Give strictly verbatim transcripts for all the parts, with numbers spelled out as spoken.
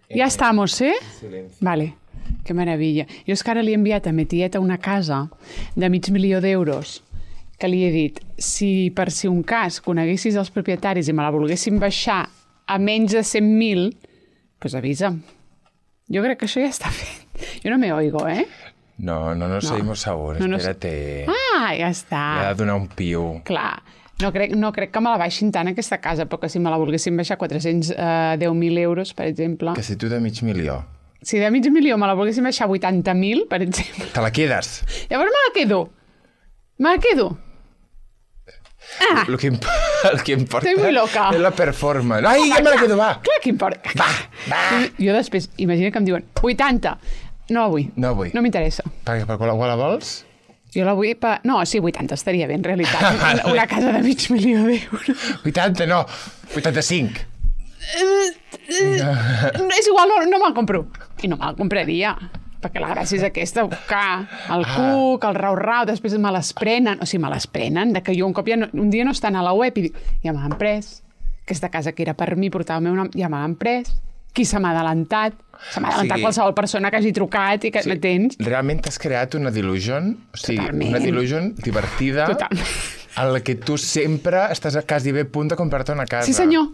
Ja estamos, eh? Vale, que meravella. Jo és que ara li he enviat a ma tieta una casa de mig milió d'euros que li he dit, si per si un cas coneguessis els propietaris i me la volguessin baixar a menys de cent mil, doncs avisa'm. Jo crec que això ja està fet. Jo no me oigo, eh? No, no nos no. oímos ahora, no, no espérate. Ah, ja està. Li ha de donar un piu. Clar. No crec, no crec que me la baixin tant aquesta casa, però que si me la volguessin baixar quatre-cents deu mil euros, per exemple... Que si tu de mig milió. Si de mig milió me la volguessin baixar vuitanta mil, per exemple... Te la quedes. Llavors me la quedo. Me la quedo. Ah! El que, imp el que importa Estoy muy loca. és la performance. Ai, ja me la quedo, va. Clar que importa. Va, va. Jo després, imagina que em diuen vuitanta. No vull. No vull. No m'interessa. Per, per qual la vols? Jo la vull per... No, sí, vuitanta estaria bé, en realitat. Una casa de mig milió d'euros. vuitanta, no. vuitanta-cinc. Uh, uh, és igual, no, no me'l compro. I no me'l compraria. Perquè la gràcia és aquesta, buscar el cuc, el rau-rau, després me les prenen. O sigui, me les prenen, de que jo un cop ja no, un dia no estan a la web i dic, ja me l'han pres. Aquesta casa que era per mi, portava el meu nom, ja me l'han pres. Qui se m'ha adelantat? Se m'ha adelantat sí. Qualsevol persona que hagi trucat i que sí. M'atens. Realment t'has creat una delusion, o sigui, totalment. Una delusion divertida totalment. En la que tu sempre estàs a quasi bé a punt de comprar-te una casa. Sí, senyor.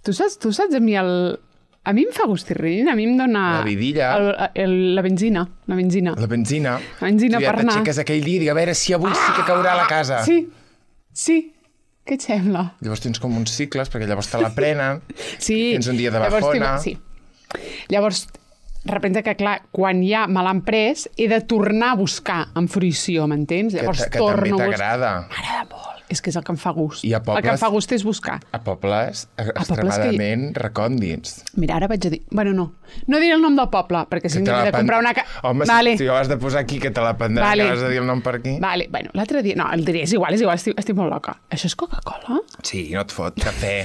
Tu saps, tu saps a mi el... A mi em fa gustirrin, a mi em dona... La vidilla. El, el, la benzina, la benzina. La benzina. La benzina tu ja per anar. t'aixeques aquell dia i dic, a veure si avui ah! sí que caurà a la casa. Sí, sí. Què et sembla? Llavors tens com uns cicles, perquè llavors te la prenen, sí. Tens un dia de bajona... Sí. Llavors, representa que, clar, quan ja me l'han pres, he de tornar a buscar en fruïció, m'entens? Llavors que, que torno també t'agrada. M'agrada molt. És que és el que em fa gust. I a pobles, el que em fa gust és buscar. A pobles a extremadament que... recòndits. Mira, ara vaig a dir... Bueno, no. No diré el nom del poble, perquè si hem de pen... comprar una... Home, vale. si ho has de posar aquí, que te la prendrà, vale. Que has de dir el nom per aquí. Vale, bueno, l'altre dia... No, el diré, és igual, és igual, estic, estic molt loca. Això és Coca-Cola? Sí, no et fot, cafè.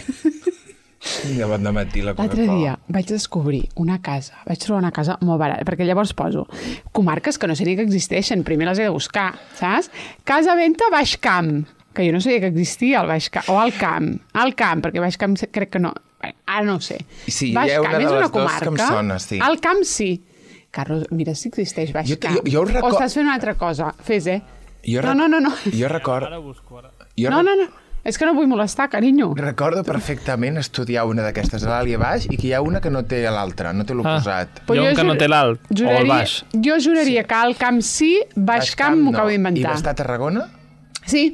Ja van dematí la Coca-Cola. L'altre dia vaig descobrir una casa, vaig trobar una casa molt barata, perquè llavors poso comarques que no sé ni que existeixen, primer les he de buscar, saps? Casa Venta Baix Camp, que jo no sabia que existia al Baix Camp, o al Camp, al Camp, perquè Baix Camp crec que no, ara no ho sé. Sí, Baix hi ha una Camp de és les una dues comarca, que em sona, sí. Al Camp sí. Carlos, mira si existeix Baix jo, Camp. Jo, jo record... O estàs fent una altra cosa, fes, eh? Jo no, no, no, no. Jo record... Ara busco, ara. Jo no, no, no. És que no vull molestar, carinyo. Recordo perfectament estudiar una d'aquestes a l'alt i a baix i que hi ha una que no té l'altra, no té l'oposat. Ah, hi ha un que no té l'alt o el baix. Jo juraria sí. que al Camp sí, Baix, baix Camp m'ho no. acabo d'inventar. I va estar a Tarragona? Sí.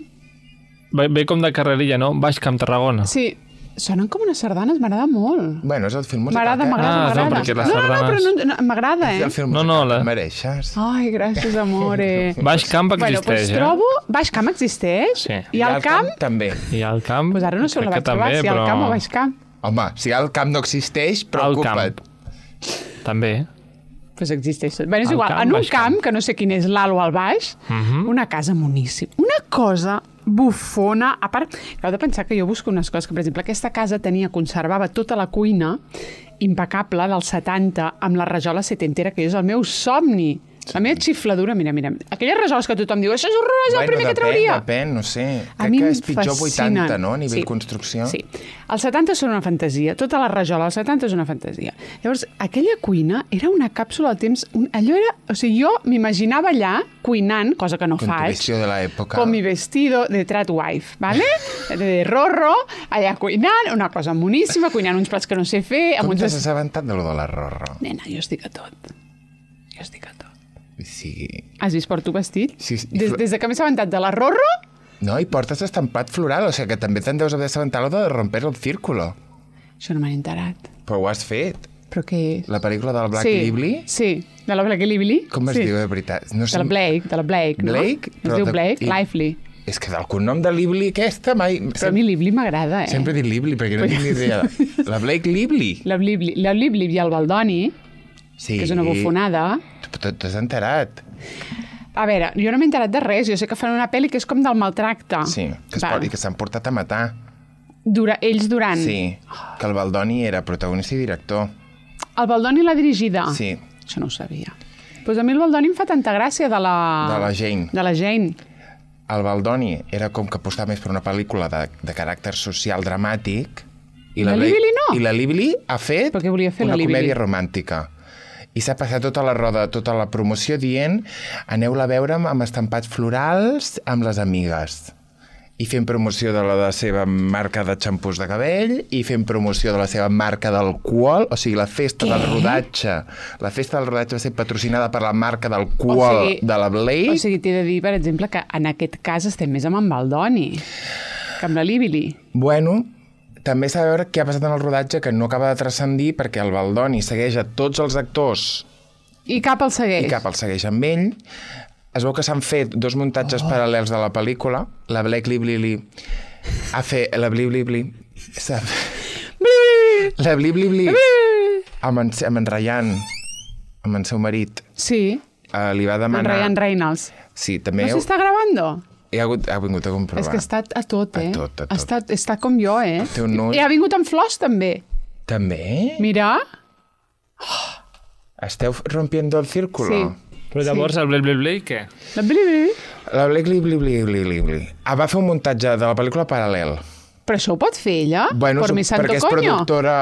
Ve, ve com de carrerilla, no? Baix Camp, Tarragona. Sí. Sonen com unes sardanes, m'agrada molt. Bueno, és el film musical. M'agrada, m'agrada, ah, m'agrada. No, perquè les no, no, no, però sardanes... no, m'agrada, eh? És el film musical no, no, la... que mereixes. Ai, gràcies, amore. Baix Camp existeix, bueno, doncs eh? trobo... Baix Camp existeix? Sí. I, I al camp... camp també. I al camp... Pues ara no sé on la vaig trobar, si però... al camp o Baix Camp. Home, si al camp no existeix, preocupa't. També. Pues existeix. Bé, és igual, camp, en un camp, camp, que no sé quin és l'alt o el baix, uh -huh. una casa moníssima. Una cosa bufona. A part, heu de pensar que jo busco unes coses que, per exemple, aquesta casa tenia, conservava tota la cuina impecable dels setanta amb la rajola setentera, que és el meu somni. La meva xifladura, mira, mira, aquelles rajoles que tothom diu, això és horrorós, bueno, el primer depèn, que trauria. Depèn, no sé. A Crec que és pitjor vuitanta, no?, a nivell sí, construcció. Sí, els setanta són una fantasia, tota la rajola als setanta és una fantasia. Llavors, aquella cuina era una càpsula del temps, un, allò era, o sigui, jo m'imaginava allà cuinant, cosa que no con faig. Con tu vestido de la època. Con mi vestido de trat wife, ¿vale? De Rorro, allà cuinant, una cosa moníssima, cuinant uns plats que no sé fer. Com uns... t'has assabentat de lo de la Rorro? Nena, jo estic a tot. Jo estic a tot. Sí. Has vist porto vestit? Sí, sí. Des, des de que m'he assabentat de la Rorro... No, i portes estampat floral, o sigui que també te'n deus haver assabentat de romper el círculo. Això no m'han enterat. Però ho has fet. Però què és? La pel·lícula del Black sí, Lively? Sí, de la Black Lively. Com es sí. diu, de veritat? No sé... De la Blake, de la Blake, no? Blake? Es diu de... Blake, I... Lively. És que del cognom de Lively aquesta mai... Però a mi Lively m'agrada, eh? Sempre dic Lively, perquè no tinc ni idea. La Blake Lively? La Lively, la Lively i el Baldoni, sí. que és una bufonada. T'has enterat? A veure, jo no m'he enterat de res. Jo sé que fan una pel·li que és com del maltracte. Sí, que es pot, i que s'han portat a matar. Dura, ells durant... Sí, que el Baldoni era protagonista i director. El Baldoni l'ha dirigida? Sí. Això no ho sabia. Doncs pues a mi el Baldoni em fa tanta gràcia de la... De la Jane. De la Jane. El Baldoni era com que apostava més per una pel·lícula de, de caràcter social dramàtic I la Libili no? I la Libili ha fet fer una la comèdia romàntica. I s'ha passat tota la roda, tota la promoció dient aneu-la a veure amb estampats florals amb les amigues. I fent promoció de la, de la seva marca de xampús de cabell, i fent promoció de la seva marca d'alcohol, o sigui, la festa Què? del rodatge. La festa del rodatge va ser patrocinada per la marca d'alcohol o sigui, de la Blake. O sigui, t'he de dir, per exemple, que en aquest cas estem més amb en Baldoni que amb la Libili. Bueno, també s'ha de veure què ha passat en el rodatge, que no acaba de transcendir perquè el Baldoni segueix a tots els actors. I cap el segueix. I cap el segueix amb ell. Es veu que s'han fet dos muntatges oh. paral·lels de la pel·lícula. La Blake Lively ha fet... La Blake Lively... La Blake Lively amb en, amb en Ryan, amb el seu marit. Sí. Uh, li va demanar... En Ryan Reynolds. Sí, també... No s'està gravant? I ha, hagut, ha vingut a comprovar. És que ha estat a tot, eh? A tot, a tot. Ha estat, està com jo, eh? No... I ha vingut amb flors, també. També? Mira. Oh. Esteu rompiendo el círculo. Sí. Però llavors sí. el Blake Lively, què? La Blake Lively? La Blake Lively. Ah, va fer un muntatge de la pel·lícula paral·lel. Però això ho pot fer ella? Bueno, por mi santo perquè és coño. productora,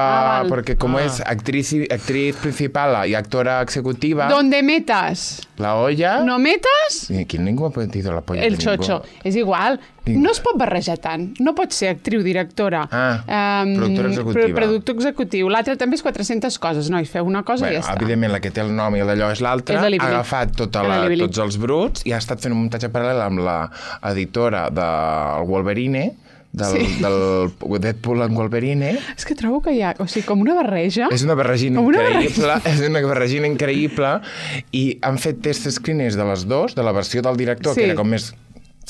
ah, perquè com ah. és actriz, actriz principal i actora executiva... Donde metas. La olla... No metas... Aquí ningú ha dit la polla El xocho. És igual. Ningú. No es pot barrejar tant. No pot ser actriu, directora. Ah, um, productora executiva. Productor executiu. L'altre també és quatre-centes coses. Nois, feu una cosa bueno, i ja està. Evidentment, la que té el nom i d'allò és l'altra. Ha agafat tota la, tots els bruts i ha estat fent un muntatge paral·lel amb l'editora del Wolverine, del, sí. del Deadpool en Wolverine. És que trobo que hi ha, o sigui, com una barreja. És una barregina una increïble, barreja. és una barregina increïble, i han fet test screeners de les dues, de la versió del director, sí. que era com més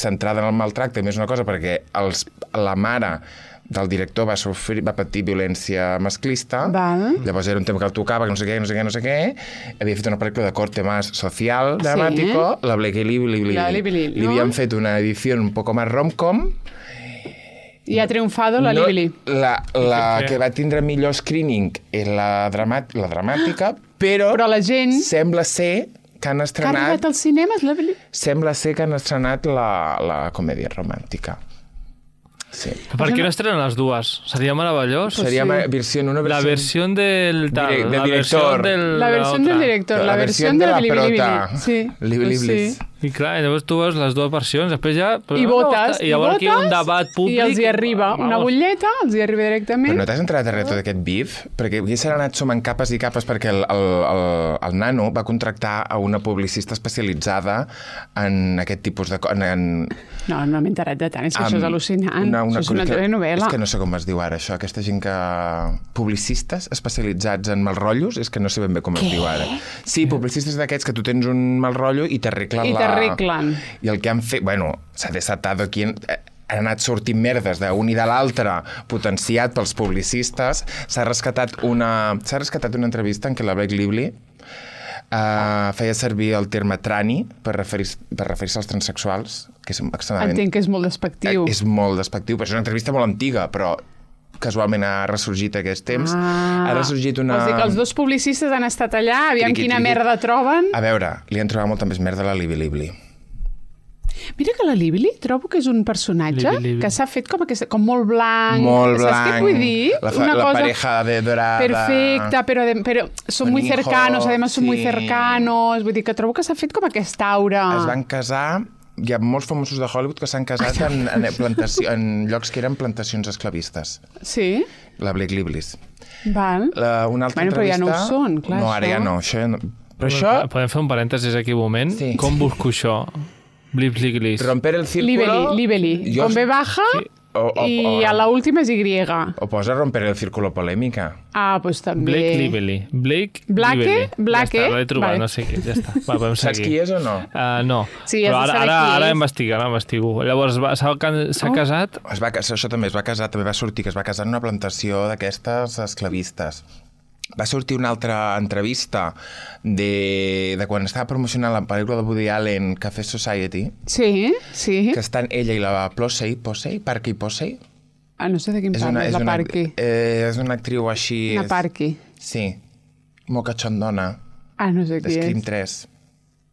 centrada en el maltracte, més una cosa, perquè els, la mare del director va sofrir, va patir violència masclista. Val. Llavors era un tema que el tocava, que no sé què, no sé què, no sé què. Havia fet una pel·lícula de corte más social, dramàtico. Sí. La Blake Lively li, li, li, li havien fet una edició un poco más rom-com. I ha triomfado la no, Lively. La, la que va tindre millor screening és la, dramat, la dramàtica, però, però la gent... sembla ser que han estrenat... Que ha arribat als cinemes, la Lively? Sembla ser que han estrenat la, la comèdia romàntica. Sí. Per què no estrenen les dues? Seria meravellós. Pues seria sí. versió, una versió... La versió del... Tal, Direct, del la director. Del, la versió del director. La, la versió de, de la Lively. Sí. Lively. Sí. I clar, llavors tu veus les dues versions, després ja... I votes, i llavors aquí hi ha un debat públic... I els hi arriba una butlleta, els hi arriba directament... Però no t'has entrat a res tot aquest bif? Perquè aquí s'ha anat sumant capes i capes perquè el, el, el, el nano va contractar a una publicista especialitzada en aquest tipus de... En, en... No, no m'he enterat de tant, és que um, això és al·lucinant. Una, una això és una telenovela. És que no sé com es diu ara, això. Aquesta gent que... Publicistes especialitzats en mal rotllos, és que no sé ben bé com es diu ara. Sí, publicistes d'aquests que tu tens un mal rotllo i t'arreglen la... T'arreglen. I el que han fet... Bueno, s'ha desatat aquí... Han anat sortint merdes d'un i de l'altre, potenciat pels publicistes. S'ha rescatat una... S'ha rescatat una entrevista en què la Blake Lively uh, feia servir el terme trani per referir-se per referir als transsexuals, que és extremadament... Entenc que és molt despectiu. És molt despectiu, però és una entrevista molt antiga, però casualment ha ressorgit aquest temps. Ah, ha ressorgit una... Vols dir que els dos publicistes han estat allà, aviam triqui, quina triqui. merda troben... A veure, li han trobat molta més merda a la Lively Lively. Mira que la Lively trobo que és un personatge Lively, Lively. que s'ha fet com, aquesta, com molt blanc. Molt blanc. Saps què vull dir? La, fa, Una la cosa pareja de dorada. Perfecta, però, de, però són muy cercanos, además són sí. muy cercanos. Vull dir que trobo que s'ha fet com aquesta aura. Es van casar... Hi ha molts famosos de Hollywood que s'han casat en, en, plantació, en llocs que eren plantacions esclavistes. Sí? La Blake Lively. Val. La, una altra bueno, però entrevista... ja no ho són, clar. No, ara això. ja no. Això ja no. Però això... Podem fer un parèntesis aquí un moment? Sí. Com busco això? Blip, blig, lis. Romper el círculo... Lively, Lively. Con B baja sí. o, o, i o, a la última és Y. O posa romper el círculo polèmica. Ah, doncs també. Blake Lively. Blake Blake, Lively. Blake. Ja està, l'he trobat, vale. no sé què, ja està. Va, podem seguir. Saps qui és o no? Uh, no. Sí, però ara, ara, qui ara investiga, ara investigo. Llavors, s'ha oh. casat... Es va, això també es va casar, també va sortir que es va casar en una plantació d'aquestes esclavistes. Va sortir una altra entrevista de, de quan estava promocionant la pel·lícula de Woody Allen, Café Society. Sí, sí. Que estan ella i la Plosey, Posey, Parky Posey. Ah, no sé de quin parla, la una, Parky. Eh, és una actriu així... La Parky. Sí, molt cachondona. Ah, no sé qui és. Scream tres.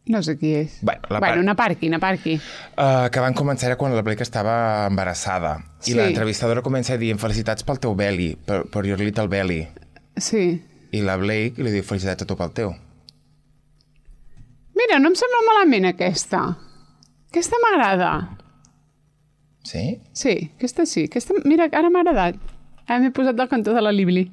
No sé qui és. Bueno, la bueno par... una parqui, una parqui. Uh, que van començar era quan la Blake estava embarassada. I Sí. l'entrevistadora comença dient felicitats pel teu belly, per, per your little belly. Sí. I la Blake li diu felicitats a tu pel teu. Mira, no em sembla malament aquesta. Aquesta m'agrada. Sí? Sí, aquesta sí. Aquesta... Mira, ara m'ha agradat. Ara m'he posat del cantó de la Libli.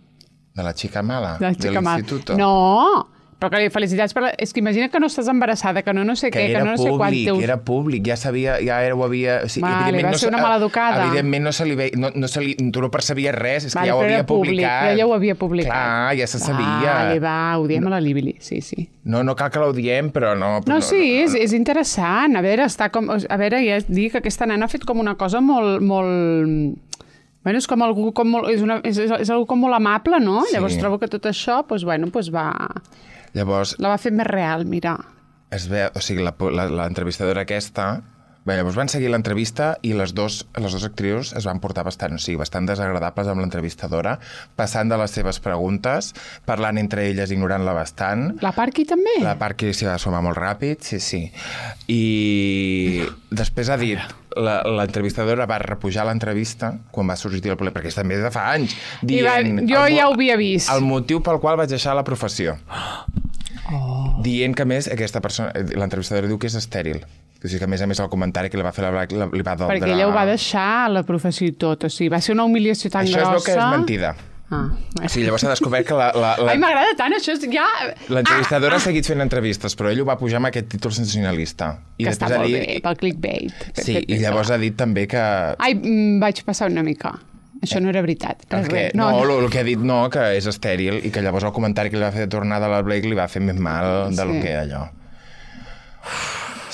De la xica mala? De la xica mala. l'instituto? No! Però que li felicitats per... És que imagina que no estàs embarassada, que no no sé Que què, era que no no sé quant públic, teus... era públic, ja sabia, ja era, ho havia... O sigui, Vale, evidentment va no ser una se- maleducada. Evidentment no se li veia... No, no se li, tu no percebies res, és que Vale, ja ho però havia era públic, publicat. ella ho havia publicat. Clar, ja se sabia. Vale, va, ho diem a la Libli, sí, sí. No, no cal que l'audiem, però no... No, sí, és, és interessant. A veure, està com... A veure, ja et dic que aquesta nena ha fet com una cosa molt... molt... Bueno, és com algú com molt... És, una, és, és algú com molt amable, no? Sí. Llavors trobo que tot això, doncs, bueno, doncs va... Llavors, La va fer més real, mira. es ve, o sigui, la- la- l'entrevistadora aquesta... Bé, llavors van seguir l'entrevista i les dos, les dues actrius es van portar bastant, o sigui, bastant desagradables amb l'entrevistadora, passant de les seves preguntes, parlant entre elles, ignorant-la bastant. La Parky també? La part que s'hi va sumar molt ràpid, sí, sí. I després ha dit, la- l'entrevistadora va repujar l'entrevista quan va sorgir el problema, perquè és també de fa anys, I va, dient... jo el mo- ja ho havia vist. El motiu pel qual vaig deixar la professió. Oh. Dient que, a més, aquesta persona... L'entrevistadora diu que és estèril. O sigui que, a més a més, el comentari que li va fer la Black la- li va doldre... Perquè ella ho va deixar a la professió i tot. O sigui, va ser una humiliació tan Això grossa... es veu que és mentida. Ah, O sigui, llavors s'ha descobert que la... la, la... Ai, m'agrada tant, això és ja... L'entrevistadora Ah, ha seguit fent entrevistes, però ell ho va pujar amb aquest títol sensacionalista. que està ha molt dit... bé, pel clickbait. Sí, i llavors ha dit també que... Ai, mm, vaig passar una mica. Això no era veritat. El Res, que, res. no, no, el que ha dit no, que és estèril, i que llavors el comentari que li va fer de tornada a la Blake li va fer més mal del Sí. que allò.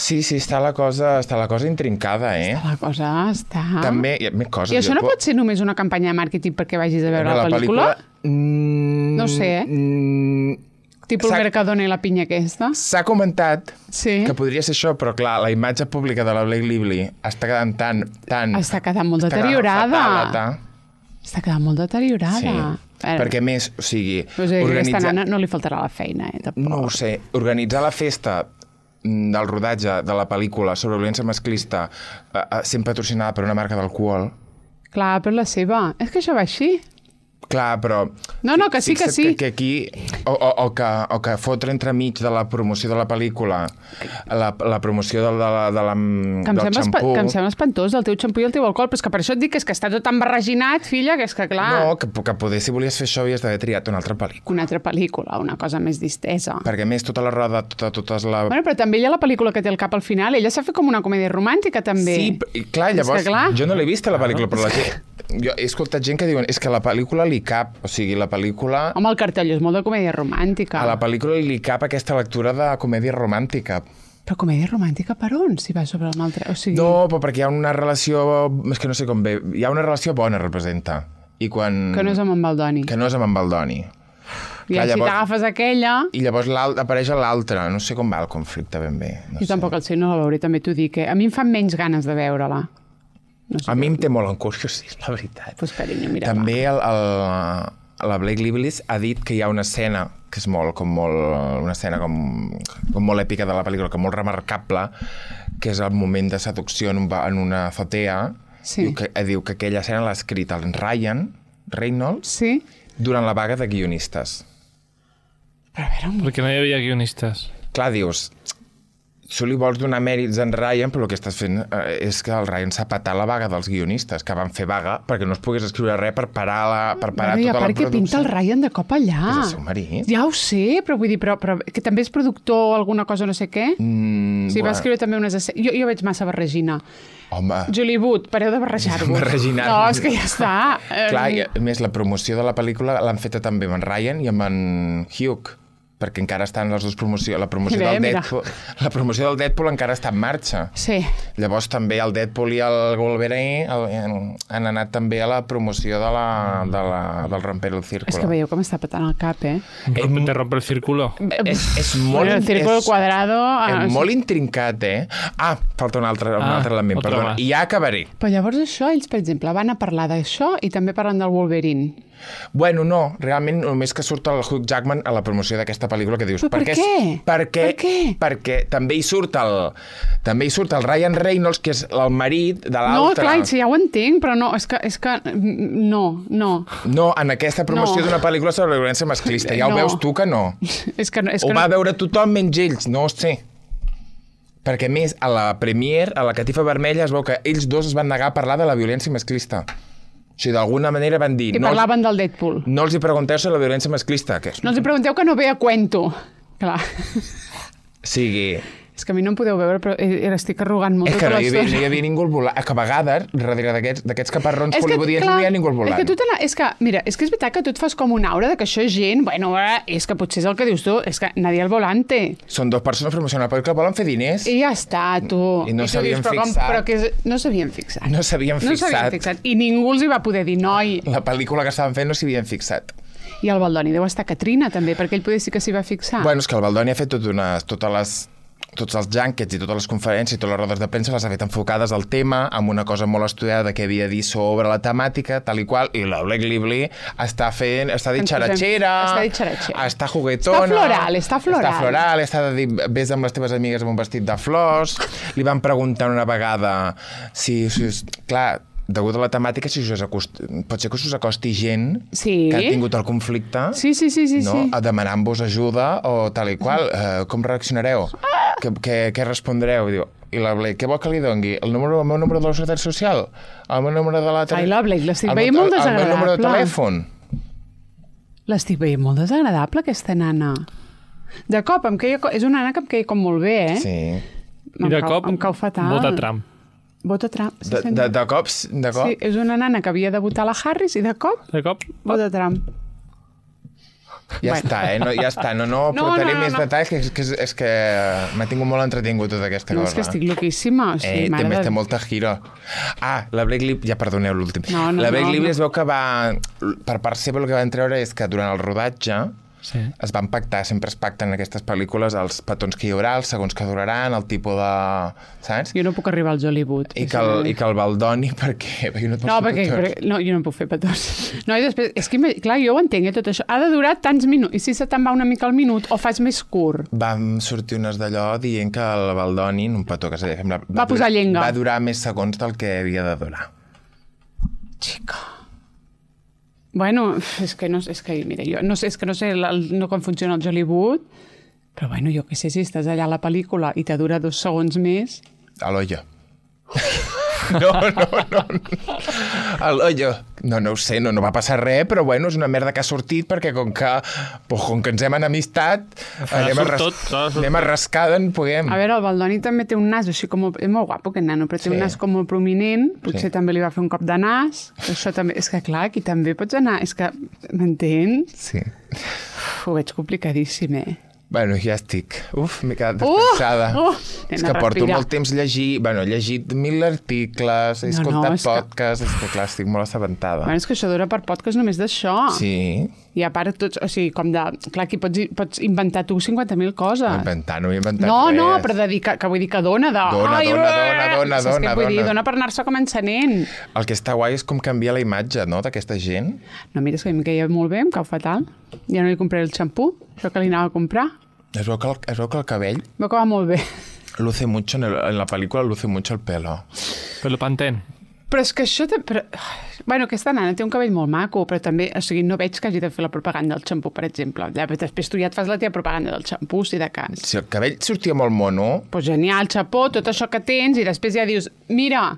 Sí, sí, està la cosa, està la cosa intrincada, eh? La cosa està... També, hi ha més coses. I això no jo- pot ser només una campanya de màrqueting perquè vagis a veure la, pel·lícula? Mm, No sé, eh? mm, Tipo el s'ha- Mercadona i la pinya aquesta? S'ha comentat Sí. que podria ser això, però clar, la imatge pública de la Blake Lively està quedant tan... tan Està quedant molt està quedant deteriorada. fatal, Està quedant molt deteriorada. Sí, A veure, perquè a més, o sigui, o sigui, organitzar... aquesta nana no li faltarà la feina, eh? Tampoc. No ho sé. Organitzar la festa mm, del rodatge de la pel·lícula sobre violència masclista eh, eh, sent patrocinada per una marca d'alcohol. Clar, però la seva... És que això va així. Clar, però... No, no, que sí, que fixa't sí. Que, que aquí... O, o, o, que, o que fotre entremig de la promoció de la pel·lícula, la, la promoció de, de, la, de la, Que em, del sembla, espa- xampú... que em sembla espantós, el teu xampú i el teu alcohol, però és que per això et dic que és que està tot embarreginat, filla, que és que clar... No, que, que poder, si volies fer això, havies d'haver triat una altra pel·lícula. Una altra pel·lícula, una cosa més distesa. Perquè, a més, tota la roda, tota, totes la... Bueno, però també hi ha la pel·lícula que té el cap al final. Ella s'ha fet com una comèdia romàntica, també. Sí, p- i clar, És llavors, que, clar. jo no l'he vista, la pel·lícula, però la gent... Jo he escoltat gent que diuen és que la pel·lícula li cap, o sigui, la pel·lícula... Home, el cartell és molt de comèdia romàntica. A la pel·lícula li cap aquesta lectura de comèdia romàntica. Però comèdia romàntica per on? Si va sobre un altre... O sigui... No, però perquè hi ha una relació... És que no sé com bé... Hi ha una relació bona, representa. I quan... Que no és amb en Baldoni. Que no és amb en Baldoni. I Clar, si llavors- t'agafes aquella... I llavors l'alt- apareix l'altre. No sé com va el conflicte ben bé. No Jo sé. tampoc el sé, no la veuré, també t'ho dic. Eh? A mi em fan menys ganes de veure-la. No sé. A mi em té molt encuriós, la veritat. Pues, carinyo, mira, També el, el, la Blake Lively ha dit que hi ha una escena que és molt, com molt, una escena com, com molt èpica de la pel·lícula, que molt remarcable, que és el moment de seducció en, un, ba- en una azotea. Sí. Diu, que, diu que aquella escena l'ha escrit el Ryan Reynolds Sí? durant la vaga de guionistes. Però a veure, un... Perquè no hi havia guionistes. Clar, dius, tu li vols donar mèrits en Ryan, però el que estàs fent eh, és que el Ryan s'ha patat la vaga dels guionistes, que van fer vaga perquè no es pogués escriure res per parar, la, per parar Bueno, i a tota la part que producció. pinta el Ryan de cop allà. És el seu marit. Ja ho sé, però vull dir, però, però que també és productor o alguna cosa no sé què. Mm, Sí, va bueno, escriure també unes escenes... Jo, jo veig massa barregina. Home, Julie Wood, pareu de barrejar-vos. Barreginar. No, és que ja està. clar, Eh, i a més, la promoció de la pel·lícula l'han feta també amb en Ryan i amb en Hugh, perquè encara estan les dues promocions. La promoció, Bé, del mira. Deadpool, la promoció del Deadpool encara està en marxa. Sí. Llavors també el Deadpool i el Wolverine el, han anat també a la promoció de la, de la, del Romper el Círculo. És que veieu com està patant el cap, eh? Rompe, te rompe el círculo. És, és molt... Bueno, el círculo és, quadrado... ah, és molt intrincat, eh? Ah, falta un altre, un Ah, altre element, otro perdona. más. I ja acabaré. Però llavors això, ells, per exemple, van a parlar d'això i també parlen del Wolverine. Bueno, no, realment només que surt el Hugh Jackman a la promoció d'aquesta pel·lícula que dius... Però per què? què? Perquè, Per què? Perquè també hi surt el... També hi surt el Ryan Reynolds, que és el marit de No, l'altre. clar, sí, ja ho entenc, però no, és que... És que no, no. No, en aquesta promoció No. d'una pel·lícula sobre la violència masclista. Ja ho No. veus tu que no. És que, no- és Ho que va no... veure tothom menys ells, no ho sé. Perquè, a més, a la Premiere, a la Catifa Vermella, es veu que ells dos es van negar a parlar de la violència masclista. O sigui, d'alguna manera van dir... I no, parlaven del Deadpool. no els hi pregunteu sobre la violència masclista. Que és... No els hi pregunteu que no ve a cuento. Clar. sigui... És que a mi no em podeu veure, però eh, estic arrugant molt És que tota no hi havia, no hi l'estona. havia ningú al volant. Que a vegades, darrere d'aquests d'aquests caparrons És que, hollywoodians, clar, no hi ha ningú al volant. És que, tu te la, és que, mira, és que és veritat que tu et fas com una aura de que això és gent, bueno, eh, és que potser és el que dius tu, és que nadie al volante. Són dues persones promocionant la pel·lícula, volen fer diners. I ja està, tu. I no tu s'havien dius, però com- fixat. Però que és, no s'havien fixat. No s'havien No s'havien fixat. fixat. I ningú els hi va poder dir, noi. La pel·lícula que estaven fent no s'hi havien fixat. I el Baldoni deu estar Catrina, també, perquè ell poder sí que s'hi va fixar. Bueno, és que el Baldoni ha fet tot unes, totes les tots els junkets i totes les conferències i totes les rodes de premsa les ha fet enfocades al tema, amb una cosa molt estudiada que havia dit sobre la temàtica, tal i qual, i la Blake Lively està fent, està dit Ens posem- xaratxera, està dit xaratxera. està juguetona... Està floral, està floral. Està floral, està de dir, vés amb les teves amigues amb un vestit de flors, li van preguntar una vegada si... si clar, degut a la temàtica, si us acost... pot ser que us acosti gent Sí. que ha tingut el conflicte, Sí, sí, sí, sí, no? sí. A demanant-vos ajuda o tal i qual. Uh, com reaccionareu? Què, què, què respondreu? Diu, i la Blake, què vol que li dongui? El, número, el meu número de la Seguretat Social? El meu número de la... Ai, la Blake, l'estic el veient meu- molt El meu número de desagradable. telèfon? L'estic veient molt desagradable, aquesta nana. De cop, em queia, co- és una nana que em queia com molt bé, eh? Sí. Em I de cau- cop, em cau fatal. vota Trump. Vota Trump. Sí, De, senyor. de, de cops, de cop? Sí, és una nana que havia de votar la Harris i de cop De cop, vota Trump. Ja Bueno. està, eh? No, ja està. No, no, No, portaré no, no, més no. detalls, que, és, que, és, és que m'ha tingut molt entretingut tota aquesta No, cosa. és que estic loquíssima. O sigui, Eh, mare també de... té molta giro. Ah, la Blake Lively... Ja perdoneu l'últim. No, no, la Blake no, Lively no. es veu que va... Per part seva el que van treure és que durant el rodatge sí. es van pactar, sempre es pacten en aquestes pel·lícules els petons que hi haurà, els segons que duraran, el tipus de... Saps? Jo no puc arribar als Hollywood. I que, el, I que el Baldoni, perquè... perquè no, et pots No, fer perquè, petons. perquè no, jo no em puc fer petons. No, i després, és que, ima- clar, jo ho entenc, eh, tot això. Ha de durar tants minuts. I si se te'n va una mica al minut, o fas més curt? Vam sortir unes d'allò dient que el Baldoni, un petó que s'havia fet, va, Va posar durar, llenga. va durar més segons del que havia de durar. Xica. Bueno, és que no és que, mira, jo no sé, és que no sé el, el, no com funciona el Hollywood, però bueno, jo què sé, si estàs allà a la pel·lícula i te dura dos segons més... A l'ollo. No, no, no. A l'ollo. No, no ho sé, no, no va passar res, però bueno, és una merda que ha sortit perquè com que, pues, com que ens hem enemistat, anem a, surt ras tot, clar, surt anem a rascar d'en puguem. A veure, el Baldoni també té un nas així com... És molt guapo, aquest nano, però té Sí. un nas com molt prominent. Potser Sí. també li va fer un cop de nas. Això també... És que, clar, aquí també pots anar... És que, m'entens? Sí. Uf, ho veig complicadíssim, eh? Bueno, ja estic. Uf, m'he quedat Uh, descansada. uh, és anem que a porto respirar. molt temps llegir... Bueno, he llegit mil articles, he No, no, escoltat és que- podcasts, és que clar, estic molt assabentada. Bueno, és que això dura per podcast només d'això. Sí, I a part, tots, o sigui, com de... Clar, aquí pots, pots inventar tu cinquanta mil coses. inventar, no he inventat No, res. no, però de dir que, que vull dir que dona de... Dona, Ai, dona, ué! dona, dona, Saps què dona, vull dir? dona. Dona per anar-se com encenent. El que està guai és com canvia la imatge, no?, d'aquesta gent. No, mira, és que a mi em queia molt bé, em cau fatal. Ja no li compraré el xampú, això que li anava a comprar. Es veu que el, es veu que el cabell Veu que va molt bé. luce mucho, en, el, en la pel·lícula luce mucho el pelo. Però Pantene. Però és que això... Te... Però... Bueno, aquesta nana té un cabell molt maco, però també, o sigui, no veig que hagi de fer la propaganda del xampú, per exemple. Ja, però després tu ja et fas la teva propaganda del xampú, si de cas. Si el cabell sortia molt mono, Pues genial, xapó, tot això que tens, i després ja dius, mira,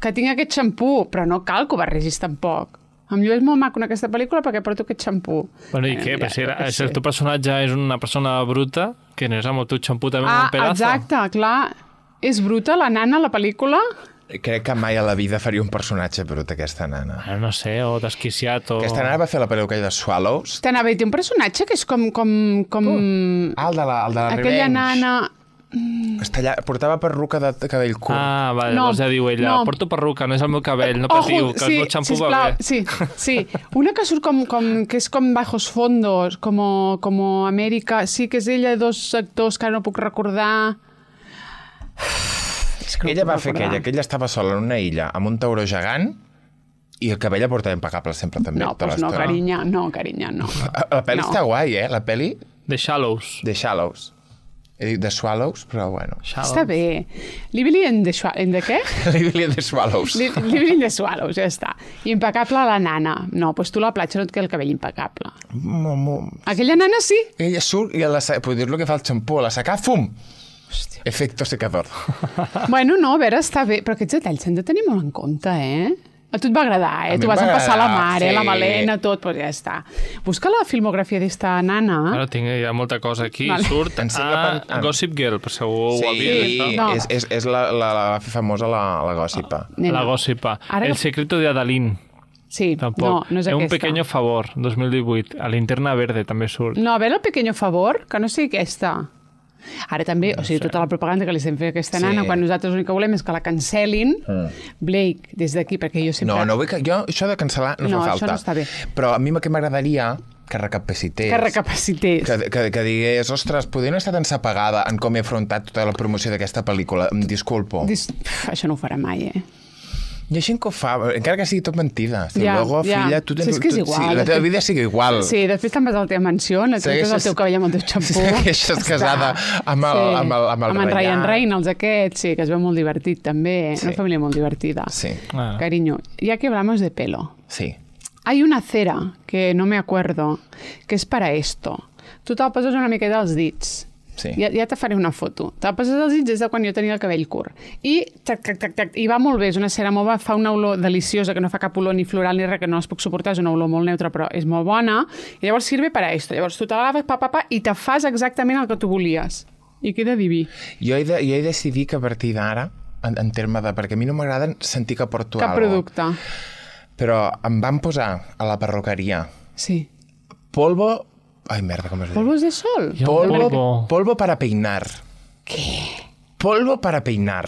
que tinc aquest xampú, però no cal que ho barregis tampoc. Em llueix molt maco en aquesta pel·lícula perquè porto aquest xampú. Bueno, i què? Però si, era, si el teu personatge és una persona bruta, que no és amb el teu xampú també Ah, un pedazo. exacte, clar. És bruta, la nana, la pel·lícula? crec que mai a la vida faria un personatge brut, aquesta nana. Bueno, no sé, o desquiciat, o... Aquesta nana va fer la pel·lícula aquella de Swallows. T'anava a dir, té un personatge que és com... com, com... Ah, el de la, el de la aquella Revenge. nana... Està allà, portava perruca de, de cabell curt. Ah, vale, No, llavors ja diu ella, no. porto perruca, no és el meu cabell, no patiu, que el meu xampú va bé. Sí, sí. Una que surt com, com, que és com bajos fondos, com, com Amèrica, sí que és ella, dos actors que ara no puc recordar. És que no Ella puc va fer recordar. aquella, que ella estava sola en una illa amb un tauró gegant i el cabell la portava impecable sempre també. No, tota doncs no, l'estona. carinya, no, carinya, no. La pel·li No. està guai, eh? La pel·li The Shallows. The Shallows. He dit The Swallows, però bueno. Shallows. Està bé. Lively in the, Schwa- in the què? Lively in the Swallows. Li- Lively in the Swallows, ja està. Impecable la nana. No, doncs tu a la platja no et queda el cabell impecable. Mo, mo. Aquella nana sí. Ella surt i a la, puc dir-lo que fa el xampú, a la secar, fum! Hòstia. Efecto secador. Bueno, no, a veure, està bé, però aquests detalls s'han de tenir molt en compte, eh? A tu et va agradar, eh? A mi Tu em vas va empassar la agradar, mare, sí. la melena, tot, doncs ja està. Busca la filmografia d'esta nana. Ara tinc ja molta cosa aquí. Vale. Surt Ensenya a per- Gossip Girl, per si algú ho havia Sí, vist. No. és, és, és la, la, la famosa la, la gòssipa. Nena. La Gossipa. Ara El que- secreto de Adalín. Sí, Tampoc. no, no és Un aquesta. pequeño favor, dos mil divuit. A Linterna Verde també surt. No, a veure el pequeño favor, que no sigui aquesta. Ara també, o sigui, tota la propaganda que li estem fent a aquesta Sí. nana, quan nosaltres l'únic que volem és que la cancel·lin, Blake, des d'aquí, perquè jo sempre... No, no vull que... Jo, això de cancel·lar no, No, fa això falta. no està bé. Però a mi el que m'agradaria que recapacités. Que recapacités. Que, que, que digués, ostres, podria no estar tan sapagada en com he afrontat tota la promoció d'aquesta pel·lícula. Em disculpo. Dis... Pff, això no ho farà mai, eh? Hi ha gent que ho fa, encara que sigui tot mentida. Si Ja, luego, ja. filla, tu tens... Si és que és tu- igual, Sí, la de teva fet. vida sigui igual. Sí, després te'n vas a la teva mansió, et treus el Segueixes- teu cabell amb el teu xampú. Segueixes Ja casada està. amb el- amb el- amb el amb en Ryan Ryan. Reynolds aquest, sí, que es veu molt divertit també. Sí. Una família molt divertida. Sí, Ah. Cariño, ya que hablamos de pelo, sí. hay una cera que no me acuerdo, que és para esto. Tu te'l poses una miqueta als dits. Sí. Ja, ja te faré una foto. Te'l poses als dits des de quan jo tenia el cabell curt. I, tac, tac, tac, tac, i va molt bé, és una cera molt bona, fa una olor deliciosa, que no fa cap olor ni floral ni res, que no es puc suportar, és una olor molt neutra, però és molt bona. I llavors sirve para esto. Llavors tu te la laves, pa, pa, pa, i te fas exactament el que tu volies. I queda diví. Jo he, de, jo he decidit que a partir d'ara, en, en terme de... Perquè a mi no m'agrada sentir que porto Cap alguna producte. Però em van posar a la perruqueria Sí. polvo... Ai, merda, com es diu? Polvos de sol. Hi ha un Polvo, polvo. polvo para peinar. Què? Polvo para peinar.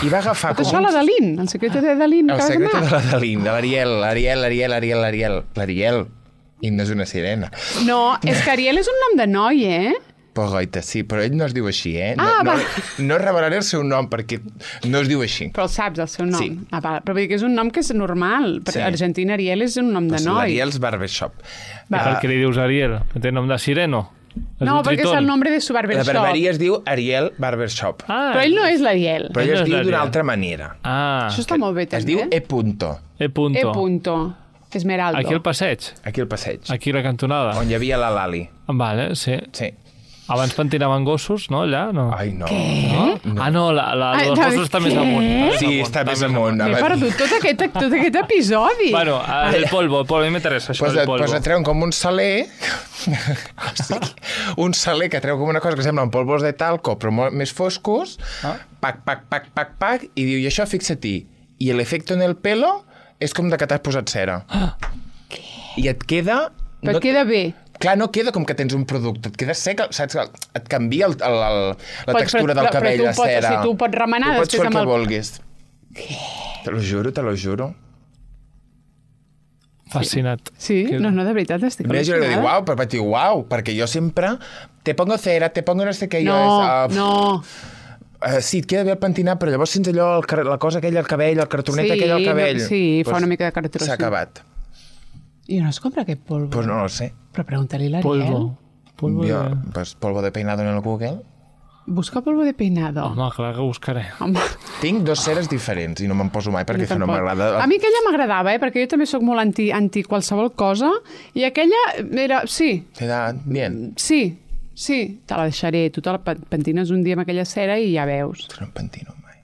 I va agafar Tot com això a la Dalín, el secreto de Dalín. El acabes secret d'anar? de la Dalín, de l'Ariel, l'Ariel, l'Ariel, l'Ariel, l'Ariel, l'Ariel. I no és una sirena. No, és que Ariel és un nom de noi, eh? Però goita, sí, però ell no es diu així, eh? No, Ah, no, va. no revelaré el seu nom perquè no es diu així. Però el saps, el seu nom. Sí. Ah, va. Però vull dir que és un nom que és normal. Sí. Sí. Argentina Ariel és un nom de Pues noi. L'Ariel's Barbershop. Per què li dius Ariel? Que té nom de sireno? Es No, diu perquè és Tritón. el nombre de su La barbershop. barberia es diu Ariel Barbershop. Ah, Però ell no és l'Ariel. Però ell no es és diu d'una l'Ariel. altra manera. Ah, Això està molt bé, Es també. diu E punto, E punto. E punto. Esmeraldo. Aquí al passeig? aquí al passeig, Aquí a la cantonada? on hi havia la Lali. Vale, sí. Sí. Abans pentinaven gossos, no, allà? No. Ai, no. No? no. Ah, no, la, la Ai, dels David, gossos està més què? amunt. Sí, està més amunt. M'he perdut tot aquest, tot aquest episodi. Bueno, el polvo, el polvo, a mi m'interessa això, Pues, el polvo. pues et treuen com un saler, o sigui, un saler que treu com una cosa que sembla polvos de talco, però molt més foscos, Ah. pac, pac, pac, pac, pac, i diu, i això fixa-t'hi. I l'efecte en el pelo és com de que t'has posat cera. I et queda... Però et queda bé. Clar, no queda com que tens un producte, et queda sec, saps? Et canvia el, el, el, la Però- textura però- del però cabell, tu la pots- cera. si tu pots remenar tu pots després fer el amb que el- vulguis. Te lo juro, te lo juro. Fascinat. Sí, Que- no, no, de veritat, estic A mi jo li dic, al·lucinada. uau, però vaig dir, uau, perquè jo sempre te pongo cera, te pongo no sé què, jo No, és... Uh, no. Uh, sí, et queda bé el pentinat, però llavors sents allò, el, car- la cosa aquella al cabell, el cartonet Sí, aquell al cabell. no, sí, fa una mica de cartró, S'ha sí. acabat. I on es compra aquest polvo? Pues no ho sé. Però pregunta-li a l'Ariel. Polvo. Polvo Jo, de... pues, polvo de peinado en el Google. Busca polvo de peinado. Home, clar que ho buscaré. Home. Tinc dos ceres diferents i no me'n poso mai perquè Jo això no tampoc. m'agrada. A mi aquella m'agradava, eh? Perquè jo també sóc molt anti, anti qualsevol cosa. I aquella era... Sí, Queda bien. sí, sí. Te la deixaré. Tu te la pe- pentines un dia amb aquella cera i ja veus. Però no em pentino mai.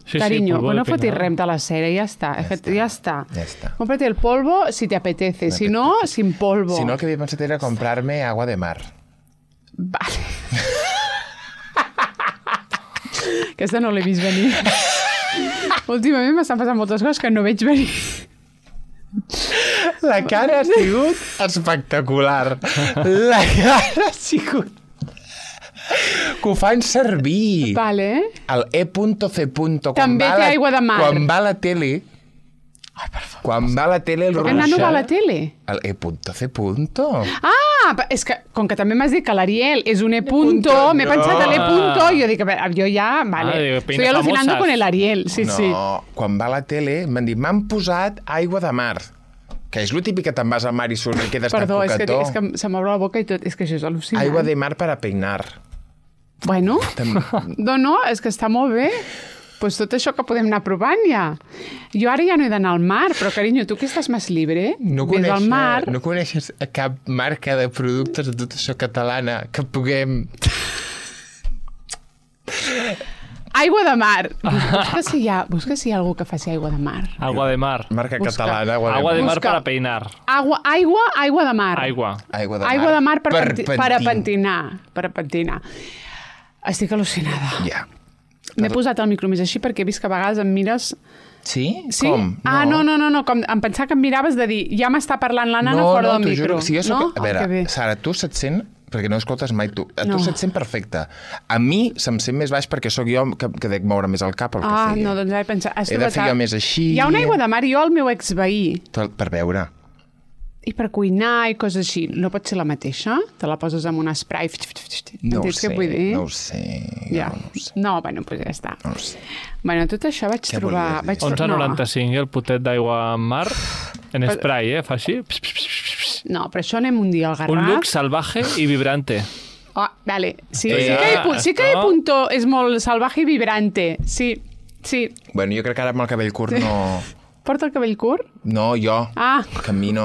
Sí, Cariño, polvo pues de no fotis peinado. rem de la cera, ya está. Ya Es que está. ya está. Ya está. Cómprate el polvo si te apetece, si no, sin polvo. Si no, el que havia pensat era comprar-me agua de mar. Vale. Aquesta no l'he vist venir. Últimament m'estan passant moltes coses que no veig venir. La cara ha sigut espectacular. La cara ha sigut... Que ho fan servir. Vale. El E C. Quan També va té la- aigua de mar. Quan va a la tele... Ai, per favor. Quan va a la tele el Aquest nano va a la tele. El E C. Ah, pa- és que com que també m'has dit que l'Ariel és un E punto, punto, m'he no. pensat en l'E punto, i jo dic, a veure, jo ja, vale, Ah, digo, estoy peina alucinando famosas. con el Ariel, sí, no, sí. quan va a la tele m'han dit, m'han posat aigua de mar. Que és lo típic que te'n vas al mar i surts i quedes Perdó, tan és que, coquetó. és que se m'obre la boca i tot. És que això és al·lucinant. Aigua de mar para peinar. Bueno, Tam- no, no, és que està molt bé. Pues tot això que podem anar provant ja. Jo ara ja no he d'anar al mar, però, carinyo, tu que estàs més libre, No ves al coneixes, mar... no coneixes cap marca de productes de tot això catalana que puguem... Aigua de mar. Busca si hi ha, busca si hi ha algú que faci aigua de mar. Agua de mar. Marca Busca. catalana, agua de Agua de mar. mar Busca. para peinar. Aigua, aigua, aigua de mar. Aigua. Aigua de mar. Aigua de mar per, per, penti per a pentinar. Per a pentinar. Estic al·lucinada. Ja. M'he posat el micro més així perquè he vist que a vegades em mires... Sí? Sí? Com? Ah, no, no, no, no. Com em pensava que em miraves de dir ja m'està parlant la nana no, fora no, del t'ho micro. Juro. Si jo soc... No? A Oh, que veure, bé. Sara, tu se't sent... Perquè no escoltes mai tu. A No. tu se't sent perfecte. A mi se'm sent més baix perquè sóc jo que, que dec moure més el cap, el que Ah, sigui. no, doncs he pensat... Has He de trobat fer a- jo més així. Hi ha una aigua de mar i jo el meu exveí. Per, per veure. I per cuinar i coses així. No pot ser la mateixa? Te la poses amb un spray... No ho Entens sé, què vull dir? no ho sé. Ja. No, no ho sé. No, bueno, doncs ja està. No ho sé. Bueno, tot això vaig Què trobar... volies dir? Vaig onze tro- noranta-cinc, el potet d'aigua en mar, en spray, eh? Fa així. Pss, pss, pss, pss. No, però això anem un dia al Garraf. Un look salvaje i vibrante. Oh, vale. Sí, Eh, sí que, hi, pu- sí que hi no? punto és molt salvaje i vibrante. Sí, sí. Bueno, jo crec que ara amb el cabell curt no... Porta el cabell curt? No, jo. Ah. Que a mi no...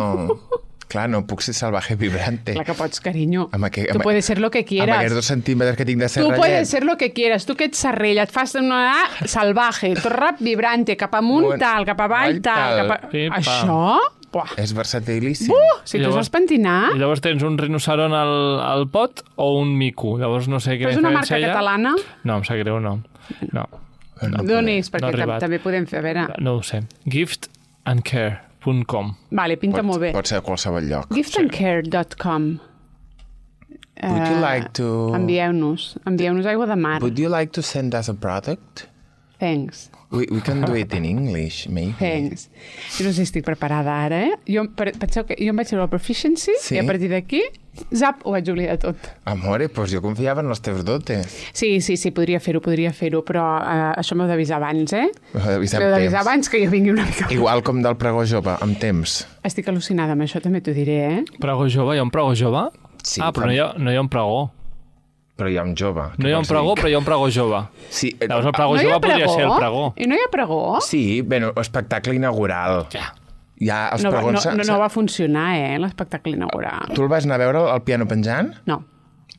Clar, no puc ser salvaje vibrante. Clar que pots, cariño. Amb aqu- Tú amb- puedes ser lo que Amb quieras. aquests dos centímetres que tinc de Tu serrallet. puedes ser lo que quieras. Tu que ets serrella, et fas una A salvaje, tot rap vibrante, cap amunt Bueno, tal, cap avall avall tal. tal. Cap a... Pim, pam. Això? Buah. És versatilíssim. Uh, si I tu llavors- saps pentinar, I llavors tens un rinoceron al, al pot o un mico. Llavors no sé quina és una diferència marca hi ha. catalana. No, em sap greu, no. No, No D'on podem. és? Perquè No ha tam arribat. també podem fer, a veure... no ho sé. gift and care punt com. Vale, pinta Pot, molt bé. pot ser a qualsevol lloc. gift and care dot com. Would you like to... Envieu-nos. Envieu-nos aigua de mar. Would you like to send us a product? Thanks. We, we can do it in English, maybe. Thanks. Jo no sé si estic preparada ara, eh? Jo, per, penseu que jo em vaig treure el Proficiency Sí. i a partir d'aquí, zap, ho vaig oblidar tot. Amore, doncs jo confiava en els teus dotes. Sí, sí, sí, podria fer-ho, podria fer-ho, però uh, això m'heu d'avisar abans, eh? M'heu d'avisar amb M'heu d'avisar temps. abans que jo vingui una mica. Igual com del pregó jove, amb temps. Estic al·lucinada amb això, també t'ho diré, eh? Pregó jove? Hi ha un pregó jove? Sí, ah, però però- no hi, ha, no hi ha un pregó. Però hi ha un jove. No hi ha un pregó, però hi ha un pregó jove. Sí, eh, Llavors el pregó No hi jove ha podria pregó? ser el pregó. I no hi ha pregó? sí, bueno, espectacle inaugural. Ja. Ja, els No, va- pregons... no, no, no va funcionar, eh, l'espectacle inaugural. Tu el vas anar a veure al piano penjant? No,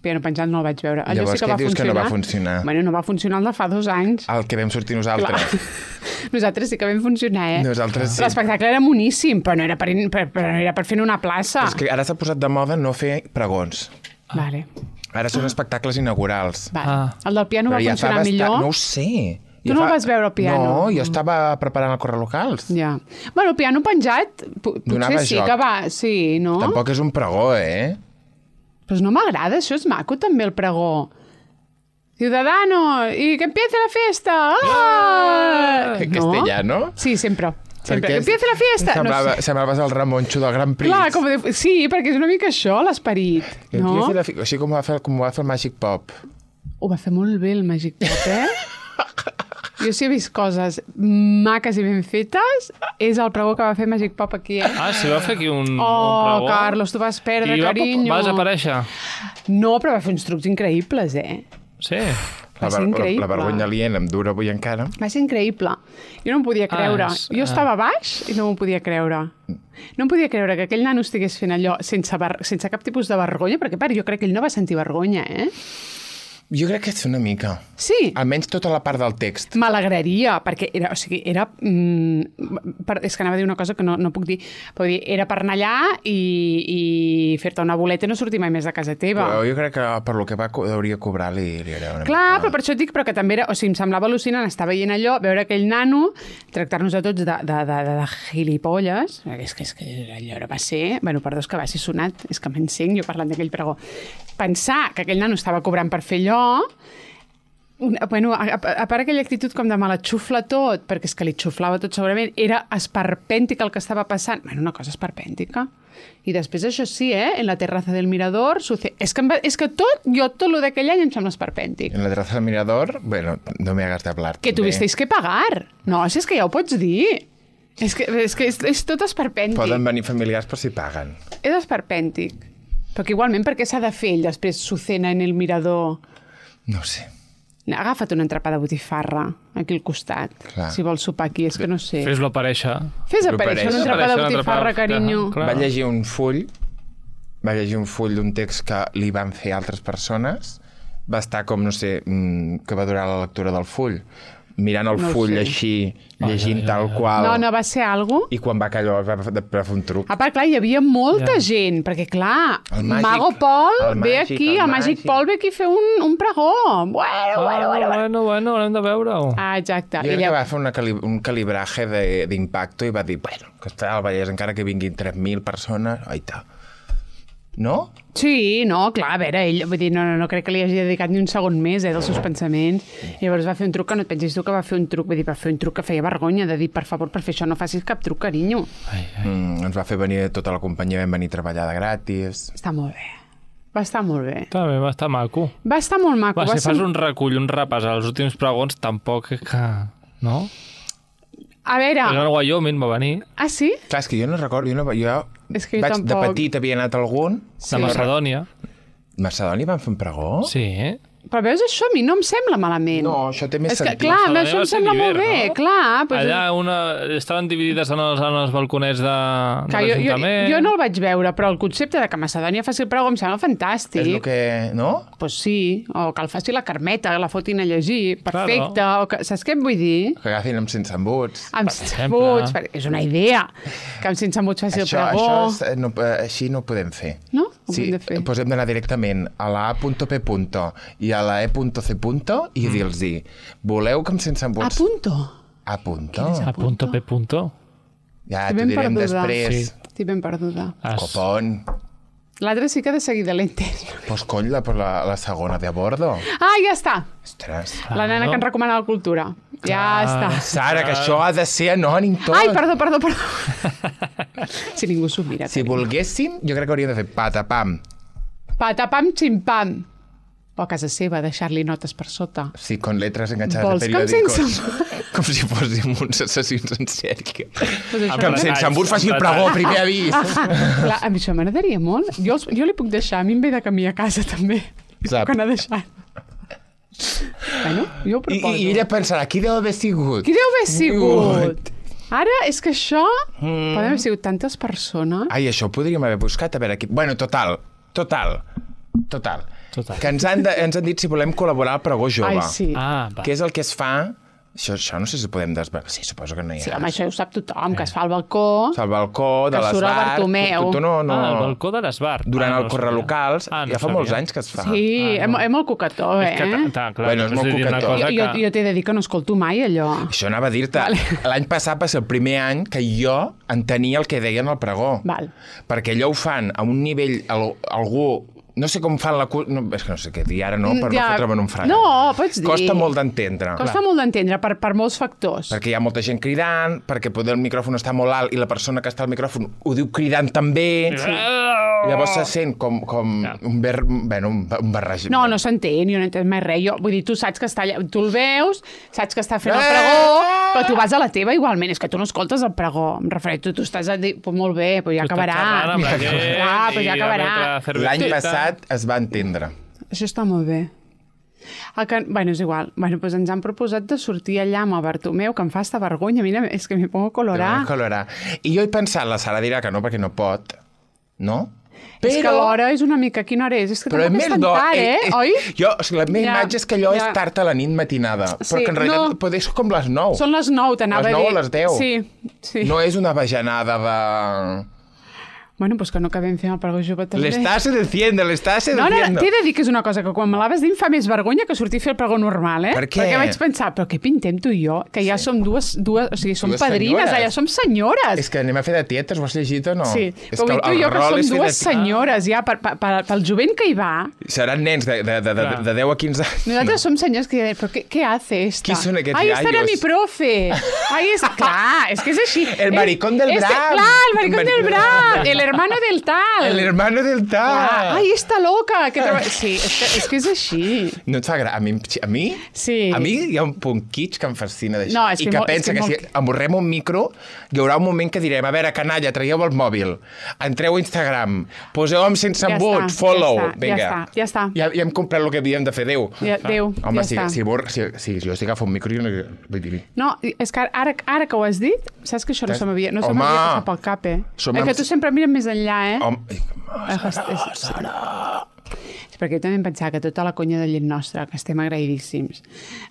piano penjant no el vaig veure. Allò Llavors, sí que què va dius que funcionar. no va funcionar? Bueno, no va funcionar el de fa dos anys. El que vam sortir nosaltres. Clar. Nosaltres sí que vam funcionar, eh? Nosaltres sí. L'espectacle era moníssim, però no era per, per, per, era per fer una plaça. És que ara s'ha posat de moda no fer pregons. Vale, Ara són espectacles inaugurals. vale. Ah. El del piano va Però ja fa funcionar bastant- millor? No ho sé. Tu no el vas veure al piano? No, jo estava preparant el correlocals. Ja. Bueno, el piano penjat, pu- Donava potser sí joc. que va... Sí, no? Tampoc és un pregó, eh? Pues no m'agrada, això és maco també, el pregó. Ciudadano, y que empiece la fiesta. ¡Ah! Que No? castellano. Sí, sempre. Sempre. Perquè Que empiece la fiesta. Semblava, No sé. Sembraves el Ramonxo del Gran Prix. Clar, com de... sí, perquè és una mica això, l'esperit. Que No? empiece la fi- Així com ho va fer, com ho va fer el Magic Pop. Ho va fer molt bé el Magic Pop, eh? Jo sí he vist coses maques i ben fetes. És el pregó que va fer Magic Pop aquí, eh? Ah, si va fer aquí un, Oh, un pregó. Carlos, tu vas perdre, I va, carinyo. va desaparèixer. No, però va fer uns trucs increïbles, eh? Sí. La, Va ser ver- la, increïble. la vergonya aliena em dura avui encara. Va ser increïble. Jo no m'ho podia creure. Ah, és- Jo estava baix i no m'ho podia creure. No em podia creure que aquell nano estigués fent allò sense, ver... sense cap tipus de vergonya, perquè, per, jo crec que ell no va sentir vergonya, eh? Jo crec que és una mica. Sí, Almenys tota la part del text. m'alegraria, perquè era, o sigui, era... Mm, per, és que anava a dir una cosa que no, no puc dir. Puc dir, era per anar allà i, i fer-te una boleta i no sortir mai més de casa teva. Però jo crec que per lo que va, co- hauria cobrar li, li era una Clar, mica... però per això et dic, però que també era... O sigui, em semblava al·lucinant estar veient allò, veure aquell nano, tractar-nos a tots de, de, de, de, de gilipolles. És que, és que allò va ser... Bueno, perdó, és que va ser sonat. És que m'encenc jo parlant d'aquell pregó. Pensar que aquell nano estava cobrant per fer allò... Una, bueno, a, a, a part aquella actitud com de me la xufla tot, perquè és que li xuflava tot segurament, era esperpèntic el que estava passant. Bueno, una cosa esperpèntica. I després això sí, eh? En la terraza del Mirador... Suce... És, que em va... és que tot, jo tot lo d'aquell any em sembla esperpèntic. En la terraza del Mirador, bueno, no me hagas de hablar. Que també. tuvisteis que pagar. No, si és que ja ho pots dir. És que, és, que és, és tot esperpèntic. Poden venir familiars per si paguen. És esperpèntic. Perquè igualment, per què s'ha de fer ell després su cena en el mirador? No ho sé. Ha agafat una entrapada de botifarra aquí al costat. Clar. Si vols sopar aquí, és que no sé. Fes-lo aparèixer. Fes aparèixer una entrapada de botifarra, carinyo. Clar. Va llegir un full, va llegir un full d'un text que li van fer altres persones, va estar com, no sé, que va durar la lectura del full, mirant el No ho full sé. així, llegint ai, ai, tal ai. qual... No, no, va ser algo... I quan va callar va, va, va fer un truc. A part, clar, hi havia molta Ja. gent, perquè, clar, El màgic, Mago Pol el ve màgic, aquí, el el Màgic màgic. Pol ve aquí a fer un, un pregó. Bueno, bueno, bueno, bueno. bueno, bueno, haurem de veure-ho. Ah, exacte. Jo I crec que lla- va fer una cali un calibraje d'impacto i va dir, bueno, que està al Vallès, encara que vinguin tres mil persones, aita. No? Sí, no, clar, a veure, ell, vull dir, no, no, no crec que li hagi dedicat ni un segon més, eh, dels seus pensaments. I llavors va fer un truc que no et pensis tu que va fer un truc, vull dir, va fer un truc que feia vergonya, de dir, per favor, per fer això no facis cap truc, carinyo. Ai, ai. Mm, ens va fer venir tota la companyia, vam venir a treballar de gratis. Està molt bé. Va estar molt bé. Està bé, va estar maco. Va estar molt maco. Va, va si ser... fas un recull, un repàs als últims pregons, tampoc que... No? A veure... El Wyoming va venir, Ah, sí? Clar, és que jo no recordo, jo, no, jo, És que jo vaig, de tampoc. petit havia anat a algun. de Macedònia. Macedònia van fer un pregó? Sí, eh? Però veus, això a mi no em sembla malament. No, això té més És que, sentit. clar, a mi Macedònia això va em ser sembla molt d'hivern, bé, no? clar. Doncs... Allà una... estaven dividides en els, en els balconets de, de Clar, jo, jo, l'Ajuntament. jo no el vaig veure, però el concepte de que Macedònia faci el pregó em sembla fantàstic. És el que... No? Pues sí, o que el faci la Carmeta, que la fotin a llegir, perfecte. Claro. O que, saps què et vull dir? Que agafin amb sense embuts. Amb Per sense exemple. embuts, perquè és una idea. Que amb sense embuts faci Això, el pregó. això és, eh, no, eh, així no ho podem fer. No? Ho Sí, hem de fer. doncs hem d'anar directament a la A punto P punto i a la E punto C punto i dir-los-hi, voleu que amb sense A embuts... punto. A punto? A punto, P punto. Ja, Estic t'ho ben direm perduda. després. Sí. Estic ben perduda. As... Copón. L'altre sí que de seguida l'he entès. Pues cony, la, la, la segona de a bordo. Ah, ja està. Ostres. La nena que ens recomana la cultura. Ja està. Sara, que això ha de ser anònim tot. Ai, perdó, perdó, perdó. Si ningú s'ho mira. Si volguéssim, jo crec que hauríem de fer patapam. Patapam, ximpam. O a casa seva, deixar-li notes per sota. Sí, con letras enganxades Vols de que em periòdicos. sense- Com si fóssim uns assassins en sèrie. Pues això Que amb m'agrada. sense embut faci el pregó, primer avís. Clar, a mi això m'agradaria molt. Jo, els, jo li puc deixar, a mi em ve de camí a casa també. I Sap. puc anar deixant. Bueno, jo ho I, proposo. I ella pensarà, qui deu haver sigut? Qui deu haver sigut? Ara, és que això... Mm. Poden haver sigut tantes persones. Ai, això ho podríem haver buscat, a veure aquí. Bueno, total, total, total. Total. Que ens han, de, ens han dit si volem col·laborar al pregó jove. Ai, sí. Ah, va. Què és el que es fa? Això, això no sé si podem desvelar. Sí, suposo que no hi ha. Sí, home, això ho sap tothom, que es fa al balcó. Al balcó, de Que surt el l'esbar... Bartomeu. Tu, tu no, no... Ah, el balcó de l'Esbar. Durant ah, el correlocals, Ah, no ja fa sabia. molts anys que es fa. Sí, Ah, és, no. és molt cocató, eh? És que, ta, ta, clar, Bueno, és us molt he dit una coquetó. cosa Jo, jo, que... jo t'he de dir que no escolto mai allò. Això anava a dir-te. Vale. L'any passat va ser el primer any que jo entenia el que deien al pregó. Val. Perquè allò ho fan a un nivell... al- Algú... No sé com fan la... cu- No, és que no sé què dir ara, no? Per Ja. no fotre'm en un fregat. No, pots dir. Costa molt d'entendre. Costa molt d'entendre per, per molts factors. Perquè hi ha molta gent cridant, perquè poder el micròfon està molt alt i la persona que està al micròfon ho diu cridant també. Sí. Llavors se sent com, com Ja. un, ver... bueno, un, un barrage. No, no s'entén, jo no he entès mai res. Jo, vull dir, tu saps que està allà, tu el veus, saps que està fent el Eh! pregó, però tu vas a la teva igualment, és que tu no escoltes el pregó. Em refereixo, tu, tu estàs a dir, pues molt bé, però ja Tu estàs acabarà. xerrant amb la gent Clar, però i ja amb acabarà. l'altra cerveseta. L'any passat es va entendre. Això està molt bé. El que, bueno, és igual. Bueno, doncs ens han proposat de sortir allà amb el Bartomeu, que em fa esta vergonya. Mira, és que m'hi pongo a colorar. Colorar. I jo he pensat, la Sara dirà que no, perquè no pot, no? És que l'hora és una mica... Quina hora és? És que Però és tampoc més és tan d'hora. tard, eh? Oi? Jo, o sigui, la meva Ja, imatge és que allò ja. és tard a la nit matinada, Sí, però que en realitat no. pot ser com les nou. Són les nou, t'anava a Les dir. nou o les deu. Sí, sí. No és una bajanada de... Bueno, doncs que no acabem fent el pregó jove també. L'estàs seduciendo, l'estàs No, no, seduciendo. t'he de dir que és una cosa que quan me l'haves dit em fa més vergonya que sortir a fer el pregó normal, eh? Per què? Perquè vaig pensar, però què pintem tu i jo? Que ja som dues, dues o sigui, som Dues padrines, senyores. ja som senyores. És que anem a fer de tietes, ho has llegit o no? Sí, és però vull dir tu i jo que rol som és fer dues de- senyores ja, per, per, per, pel jovent que hi va. Seran nens de, de, de, de, Clar. de deu a quinze anys. Nosaltres som senyors que diuen, però què, què hace esta? Qui són aquests Ai, esta era gallos? mi profe. Ai, és... Clar, és que és així. El maricón del Este- Bram. Clar, el maricón El del maricón- Bram. El hermano del tal. El hermano del tal. Ah, ai, està loca. Que troba... Sí, és que, és que és així. No et fa gra... A mi, a mi, Sí. a mi hi ha un punt kitsch que em fascina d'això. No, és I que que molt- és pensa que que, molt- si amorrem un micro, hi haurà un moment que direm, a veure, canalla, traieu el mòbil, entreu a Instagram, poseu-me sense Ja embuts, està, follow, ja està, vinga. ja està, ja està. Ja, ja hem comprat el que havíem de fer, Déu. Ja, Déu, Home, ja si, està. si, bor, si, si jo estic agafant un micro, jo no... Vull dir... No, és que ara, ara que ho has dit, saps que això no se m'havia no se Home! m'havia passat pel cap, eh? Som És que amb- tu sempre mires més enllà, eh? Home, Eh, és- Sara! Sí, perquè jo també em pensava que tota la conya de llet nostra, que estem agraïdíssims.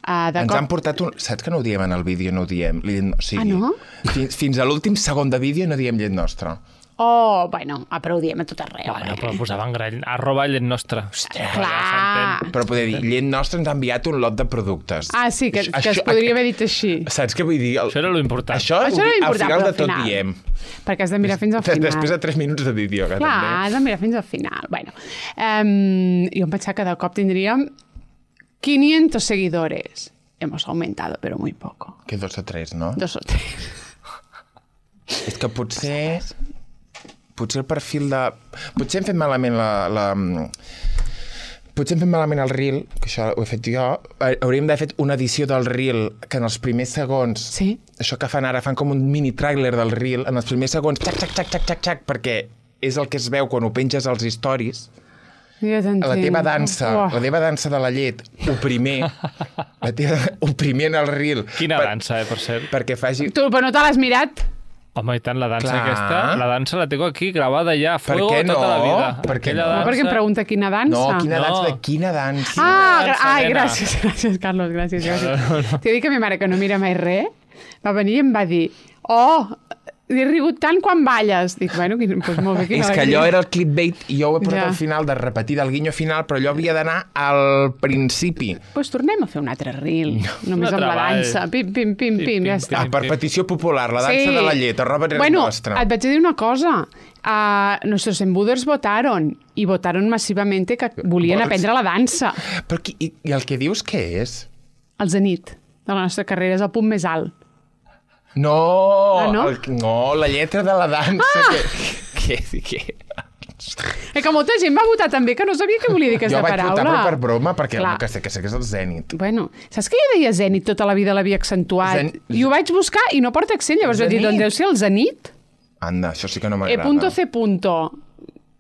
Uh, de ens cop... han portat un... Saps que no ho diem en el vídeo, no ho diem? O sigui, Ah, no? Fins, fins a l'últim segon de vídeo no diem llet nostra. Oh, bueno, ah, però ho diem a tot arreu. Bueno, eh? però posaven gran... Arroba llet nostra. Hòstia, Clar. Però poder dir, llet nostra ens ha enviat un lot de productes. Ah, sí, que, Això- que es podria haver dit així. Saps què vull dir? El... Això era lo important. Això, Això era al important, final però de al tot final. diem. Perquè has de mirar fins al final. Després de tres minuts de vídeo, que Clar, també. has de mirar fins al final. Bueno, um, jo em pensava que de cop tindríem quinientos seguidores. Hemos aumentado, pero muy poco. Que dos o tres, no? Dos o tres. És que potser... Potser el perfil de... Potser hem fet malament la... la... Potser hem fet malament el reel, que això ho he fet jo. Hauríem d'haver fet una edició del reel que en els primers segons... Sí. Això que fan ara, fan com un mini tràiler del reel, en els primers segons, xac, xac, xac, xac, xac, xac, perquè és el que es veu quan ho penges als stories. Ja t'entenc. La teva dansa, Oh. la teva dansa de la llet, ho primer, la teva, ho primer en el reel. Quina per, dansa, eh, per cert. Perquè faci... Tu, però no te l'has mirat? Home, i tant, la dansa Clar. aquesta, la dansa la tengo aquí gravada ja, Per fuego què no? tota la vida. Per què Aquella no? No, perquè em pregunta quina dansa. No, quina No. dansa, de quina dansa. Ah, gra dansa, ai, nena. gràcies, gràcies, Carlos, gràcies, gràcies. T'he dit que ma mare, que no mira mai res, va venir i em va dir, oh, he rigut tant quan balles. Dic, bueno, quin, doncs molt bé, quina És que alegria. allò era el clickbait i jo ho he portat Ja. al final de repetir del guinyo final, però allò havia d'anar al principi. Pues tornem a fer un altre reel, només Un amb la altre ball. dansa. Pim, pim, pim, Pim, pim, ja pim, està. Ah, per petició popular, la dansa de la llet, arroba res bueno, nostra. et vaig a dir una cosa. Uh, nuestros embuders votaron y votaron masivamente que volien Vols? aprendre la dansa. Però qui, i, i el que dius què és? El zenit de la nostra carrera és el punt més alt. No, Ah, no? El, no, la lletra de la dansa. Ah! Que, que, que... Eh, que molta gent va votar també, que no sabia què volia dir aquesta Jo vaig paraula. votar però per broma, perquè Clar. que sé, que sé que és el Zenit. Bueno, saps que jo deia zenit tota la vida, l'havia accentuat? Zen- I ho vaig buscar i no porta accent, llavors vaig dir, Zenit? doncs deu ser el zenit? Anda, això sí que no E m'agrada. punto C punto.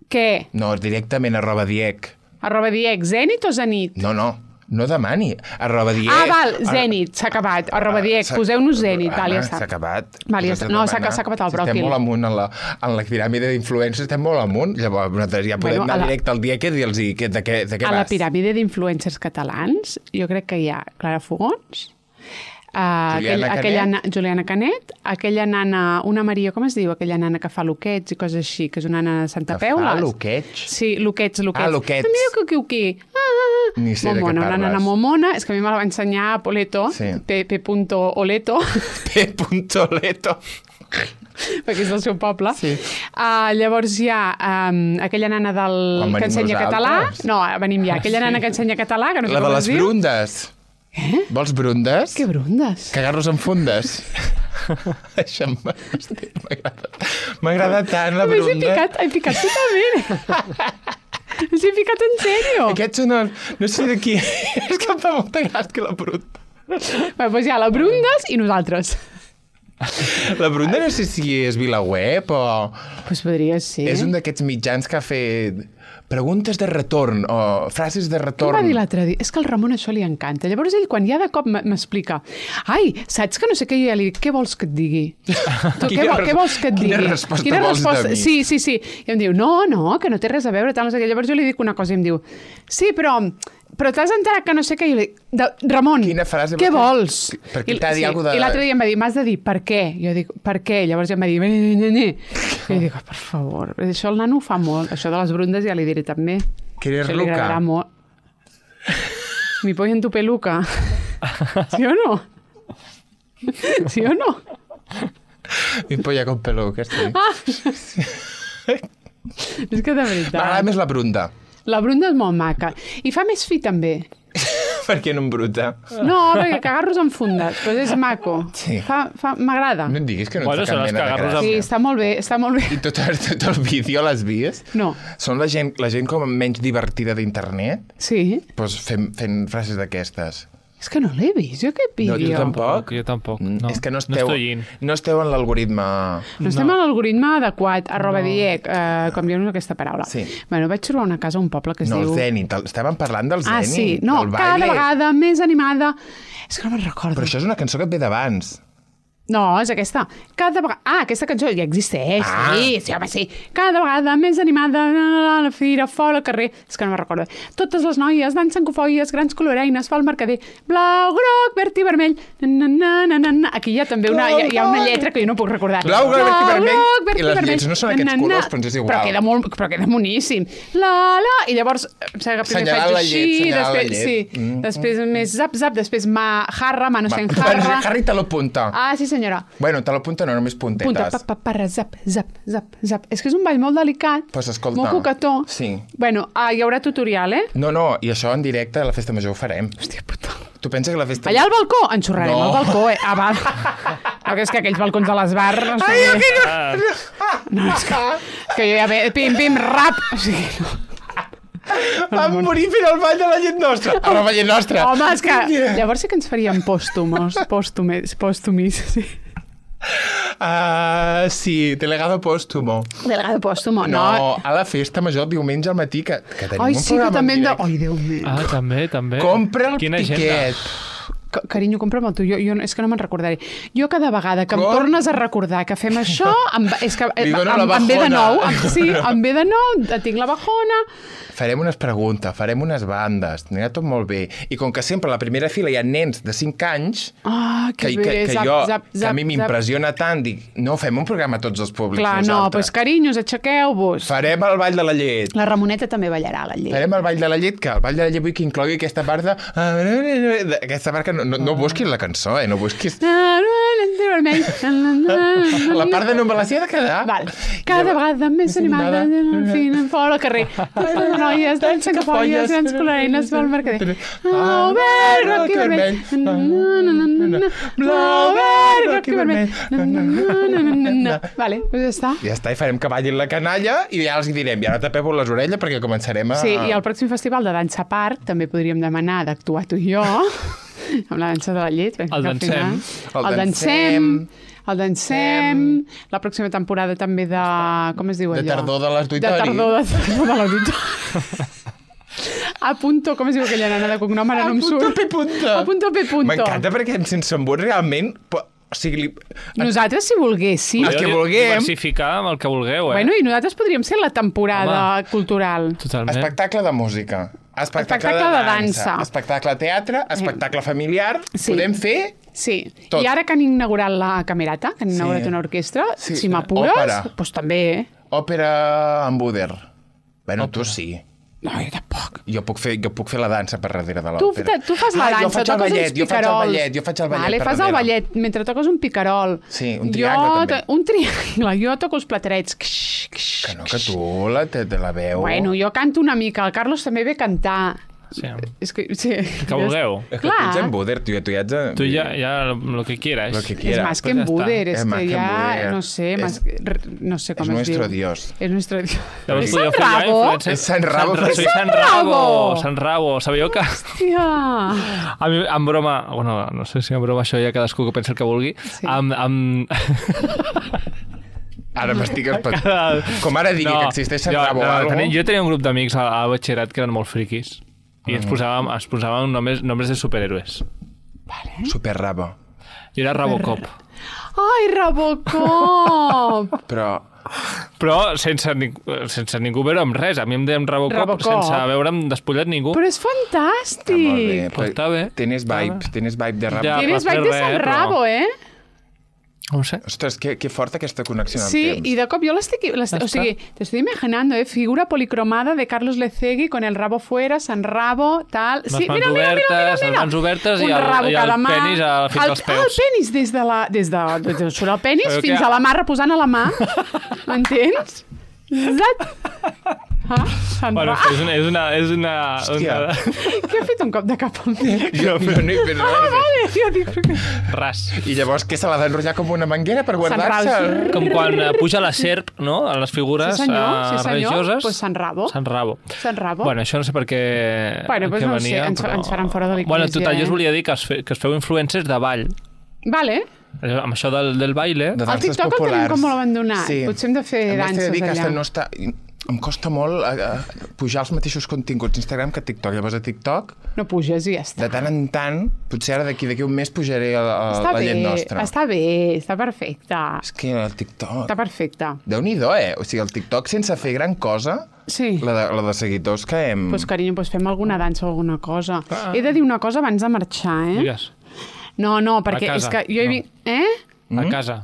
Què? No, directament, arroba diec. Arroba diec, zenit o zenit? No, no, no demani. Arroba diec. Ah, val, zenit, s'ha acabat. Arroba diec, S'ha- poseu-nos zenit, val, ja Anna, està. S'ha acabat. Val, ja Us has està. de No, s'ha demanar. s'ha acabat el Si bròquil. Estem molt amunt en la, en la piràmide d'influencers, estem molt amunt. Llavors, nosaltres ja podem Bueno, a anar la- directe al diec i dir-los que- de què, de què A la vas. piràmide d'influencers catalans, jo crec que hi ha Clara Fogons, Uh, Juliana aquell, aquella, Canet. na- Juliana Canet, aquella nana, una Maria, com es diu? Aquella nana que fa loquets i coses així, que és una nana de Santa Que Peu. fa les- loquets? Sí, loquets, loquets. Ah, loquets. Ah, mira que qui, qui. Ah, ah, ah. Ni sé de què Momona, una parles. nana momona. És que a mi me la va ensenyar Poleto, Sí. P. P. Oleto, P. Leto. perquè és del seu poble. Sí. Uh, llavors hi ha um, aquella nana del... Quan que venim ensenya català. nosaltres? No, venim ja. Aquella nana que ensenya català, que no sé La de com les es diu. brundes. Eh? Vols brundes? Que brundes. Cagar-los en fundes. Això m'ha- m'agrada. M'agrada tant la A més, he brunda. picat, he picat totalment. S'he picat en sèrio. Aquests són els... No sé de qui... És que em fa molta gràcia que la brunda... Bé, doncs hi ha la Brundes i nosaltres. La brunda no sé si és VilaWeb o... Doncs pues podria ser. És un d'aquests mitjans que ha fet preguntes de retorn o frases de Què em retorn. va dir l'altre dia? És que al Ramon això li encanta. Llavors ell, quan ja de cop m- m'explica ai, saps que no sé què, jo ja li dic, què vols que et digui? Tu, què, Quina vol, res- què vols que et digui? quina resposta vols de mi? Sí, sí, sí. I em diu, no, no, que no té res a veure, tal, no sé què. Llavors jo li dic una cosa i em diu, sí, però, però t'has enterat que no sé què? I jo li dic, de, Ramon, Quina frase què vols vols? dir? Perquè I- t'ha dit alguna de- I l'altre dia em va dir, m'has de dir, per què? Jo dic, per què? Llavors ja em va dir, ne, ne, ne, ne. I jo dic, oh, per favor, això el nano ho fa molt. Això de les brundes ja li diré també. ¿Quieres Això li Luca? agradarà molt. Mi pollo en tu peluca. ¿Sí o no? ¿Sí o no? Mi polla con pelo, que estic. És que de veritat. M'agrada més la brunda. La brunda és molt maca. I fa més fi, també. Per què no embruta? No, perquè cagarros enfundats, però és maco. Sí. Fa, fa, m'agrada. No em diguis que no Bueno, et fa són cap els mena de cagarros gràcia. Sí, està molt bé, està molt bé. I tot, tot el vídeo l'has vist? No. Són la gent, la gent com menys divertida d'internet, Sí? doncs fent, fent frases d'aquestes. És que no l'he vist, jo aquest No, vídeo. tu tampoc? Jo tampoc. Mm, No, és que no no esteu, estoy in. no esteu en l'algoritme... No estem No. a l'algoritme adequat, arroba no. diec, eh, com diuen aquesta paraula. Sí. Bueno, vaig trobar una casa a un poble que es No, diu... el Zenit. el- Estàvem parlant del Ah, Zenit. sí. No, del cada baile. vegada més animada. És que no me'n recordo. Però això és una cançó que et ve d'abans. No, és aquesta. Cada vegada... Ah, aquesta cançó ja existeix, Ah. sí, sí, home, sí. Cada vegada més animada, a la fira, fora, al carrer... És que no me'n recordo. Totes les noies dansen cofoies, grans coloreines, fa el mercader, blau, groc, verd i vermell... Na, na, na, na, na. Aquí hi ha també una, hi ha, hi ha una lletra que jo no puc recordar. Blau, groc, verd i vermell. groc, verd I les vermell. lletres no són aquests Na, na, colors, però ens és igual. Però queda, molt, però queda moníssim. La, la... I llavors, em sembla que primer Senyalant faig la així, llet, senyalant la després, llet. sí, Mm. després més zap, zap, després ma, jarra, manos en Va, jarra. Harry te lo punta. Ah, sí, senyora. Bueno, te lo punta no, només puntetes. Punta, pa, pa, parra, zap, zap, zap, zap. És que és un ball molt delicat, Pues escolta. molt coquetó. Sí. Bueno, ah, hi haurà tutorial, eh? No, no, i això en directe a la festa major ho farem. Hòstia puta. Tu penses que la festa... Allà al balcó? Enxorrarem No. al balcó, eh? Ah, va. No, que és que aquells balcons de l'esbar... No sé Ai, què. aquí no... Ah, No, és que, que jo ja ve... Pim, pim, rap. O sigui, no. Vam morir fent el ball de la llet nostra. A la llet nostra. Home, és que... Llavors sí que ens faríem pòstumos. Pòstumes, pòstumis, sí. Uh, sí, delegado póstumo. Delegado pòstumo, no. No, a la festa major diumenge al matí, que, que tenim Ai, un sí, que programa també en hem de... directe. Ai, Déu meu. ah, també, també. Compra el Quina tiquet. agenda. Ca- Carinyo, compra'm el tu. Jo, jo, és que no me'n recordaré. Jo cada vegada que em Com? tornes a recordar que fem això, em, va- és que Li em, dono la em, em ve de bajona. nou. Em, sí, em ve de nou, tinc la bajona. Farem unes preguntes, farem unes bandes, anirà tot molt bé. I com que sempre a la primera fila hi ha nens de cinc anys, Ah, que, que, que, bé, que, zap, jo, zap, que a mi zap, m'impressiona tant, dic, no, fem un programa a tots els públics Clar, no, doncs nosaltres. carinyos, aixequeu-vos. Farem el ball de la llet. La Ramoneta també ballarà, la llet. Farem el ball de la llet, que el ball de la llet vull que inclogui aquesta part de... Aquesta part que no, no, no busquis la cançó, eh? No busquis... Vermell. La part de no me la sé de quedar. Val. Cada vegada més animada, en fi, fora al carrer. Les noies dansen cafolles, grans coloreines, pel mercader. Blau, verd, groc i vermell. Blau, verd, groc i vermell. Vale, doncs ja està. Ja està, i farem que ballin la canalla i ja els hi direm, i ara tapeu les orelles perquè començarem a... Sí, i al pròxim festival de Dansa Park també podríem demanar d'actuar tu i jo amb la dansa de la llet. perquè El al final- dansem. El dansem. El dansem. La pròxima temporada també de... Com es diu De allò? tardor de l'auditori. De tardor de, tardor de l'auditori. A punto, com es diu aquella nana de cognom? Ara no em punto surt. pe punto. A punto pe punto. M'encanta perquè sense embut realment... po- O sigui, li... Nosaltres, si volguéssim... Els que vulguem. Diversificar amb el que vulgueu, eh? Bueno, i nosaltres podríem ser la temporada Home. cultural. Totalment. espectacle de música, espectacle, Espectacle de dansa. espectacle teatre, espectacle familiar, Sí. podem fer... Sí, Tot. i ara que han inaugurat la Camerata, que han Sí. inaugurat una orquestra, Sí. si m'apures, Òpera. doncs també, eh? Òpera en Buder. Bueno, tu sí. No, jo tampoc. Jo puc fer, jo puc fer la dansa per darrere de Tu, l'òpera. tu fas la ah, dansa, jo faig el toques ballet, uns jo faig el picarols. ballet, jo faig el ballet vale, per fas el darrere. ballet mentre toques un picarol. Sí, un triangle jo, també. Un triangle, jo toco els platerets. Kx, kx, Que no, que tu la, te, te la veu... Bueno, jo canto una mica, el Carlos també ve a cantar. Sí. És que, sí. Que vulgueu. És que Clar. tu ets en Buder, tu, tu ja ets... En... Tu ja, ja lo que quieras. Lo que És quiera. más que pues en ya está. Buder, és Es más que que en ja, Buder. no sé, Es- más, no sé com es es nuestro diu. Dios. És nuestro Dios. Llavors És podríeu Sant fer ja Rabo? influencer- És Sant Rabo. Sant, soy Sant Sant Rabo. Rabo. Sant Rabo. Sabíeu que... Hòstia. A mi, en broma, bueno, no sé si en broma això ja cadascú que pensa el que vulgui, Sí. amb, amb... Ara m'estic espantant. Com ara digui que existeix Sant jo, Rabo o no, algo. tenia, jo tenia un grup d'amics al, al batxillerat que eren molt friquis i ens posàvem, ens posàvem nombres, nombres de superhéroes. Super Rabo. Jo era Robocop. Ai, Robocop! Però... Però sense, ning sense ningú veure amb res. A mi em deien Robocop, Robocop. sense veure'm despullat ningú. Però és Està molt bé. fantàstic! Pues està bé. Tienes vibe, tienes vibe de Rabo. Ja. Tienes per vibe de res, Sant però- Rabo, eh? No ho sé. Ostres, que, que forta aquesta connexió amb Sí, el temps. y de cop yo la estoy, la estoy- Ya o sigui, te estoy imaginando, ¿eh? Figura policromada de Carlos Lecegui con el rabo fuera, San Rabo, tal... Les mans obertes, les mans obertes i Un el- rabo i el cada mà. penis a- fins el, als peus. Ah, el penis des de la... Des de, des de surt el penis Però fins que- a la mà reposant a la mà. M'entens? Exacte. Ah, Sant Bueno, Rabo. és una... És una, és una, Hòstia. una... Què ha fet un cop de cap amb mi? Jo, no, no he fet Ah, res. vale, jo dic... Ras. I llavors què se l'ha d'enrotllar com una manguera per guardar-se? Rabo. Com quan eh, puja la serp, no?, a les figures Sí, senyor, eh, sí, senyor. religioses. Pues Sant Rabo. Sant Rabo. Sant Rabo. Bueno, això no sé per què, Bueno, pues què no ho sé, venia, ens- però... ens faran fora de Bueno, l'Església, total, jo eh? us volia dir que es, fe, que es feu influencers de ball. Vale. Amb això del, del baile... De El danses TikTok el tenim populars. com molt abandonat. Potser hem de fer A més, t'he danses de dir que allà. hasta no està... Em costa molt uh, pujar els mateixos continguts Instagram que TikTok. Llavors a TikTok, No puges i ja està. de tant en tant, potser ara d'aquí d'aquí un mes pujaré a, a, Està la bé, llet nostra. està bé, està perfecte. És que el TikTok... Està perfecte. Déu-n'hi-do, eh? O sigui, el TikTok sense fer gran cosa, Sí. la de, la de seguidors que hem... Pues, carinyo, pues fem alguna dansa o alguna cosa. He de dir una cosa abans de marxar, eh? Digues, No, no, perquè casa, és que jo he no. vist... Eh? a casa.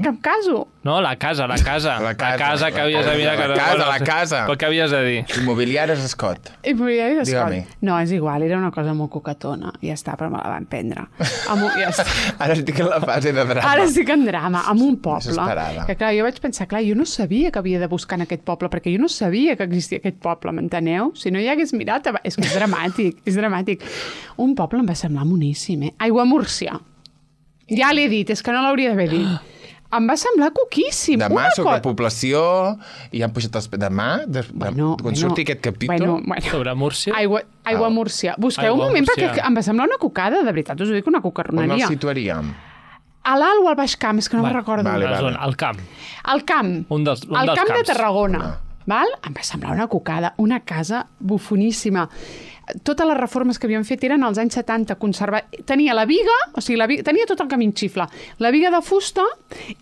Cap caso. No, la casa, la casa. La casa, la casa que la havies de casa, mirar. la que- casa, bueno, la casa. Però què havies de dir? Immobiliàries Escot. I ja he Digue-m'hi. No, és igual, era una cosa molt coquetona. Ja està, però me la van prendre. Amb un, ja està. Ara estic en la fase de drama. Ara estic en drama, amb un poble. Desesperada. Que clar, jo vaig pensar, clar, jo no sabia que havia de buscar en aquest poble, perquè jo no sabia que existia aquest poble, m'enteneu? Si no hi hagués mirat... És que és dramàtic, és dramàtic. Un poble em va semblar moníssim, eh? Aiguamúrcia. Ja l'he dit, és que no l'hauria d'haver dit. Em va semblar coquíssim. Demà Una sobre co- la població i han pujat els... Demà, de, de, Bueno, quan bueno, surti aquest capítol... Bueno, bueno. Sobre Múrcia? Aigua, aigua Ah. Múrcia. Busqueu Aigua un moment, Múrcia. perquè em va semblar una cocada, de veritat, us ho dic, una on el cocarroneria. situaríem? A l'alt o al baix camp, és que no Vale, me'n recordo. vale, La vale. zona, al camp. Al camp. Un dels- un al dels camp de camps. Tarragona. Ah. Val? Em va semblar una cocada, una casa bufoníssima. Totes les reformes que havien fet eren als anys setanta, conservar... Tenia la viga, o sigui, la viga... tenia tot el camí en xifla. La viga de fusta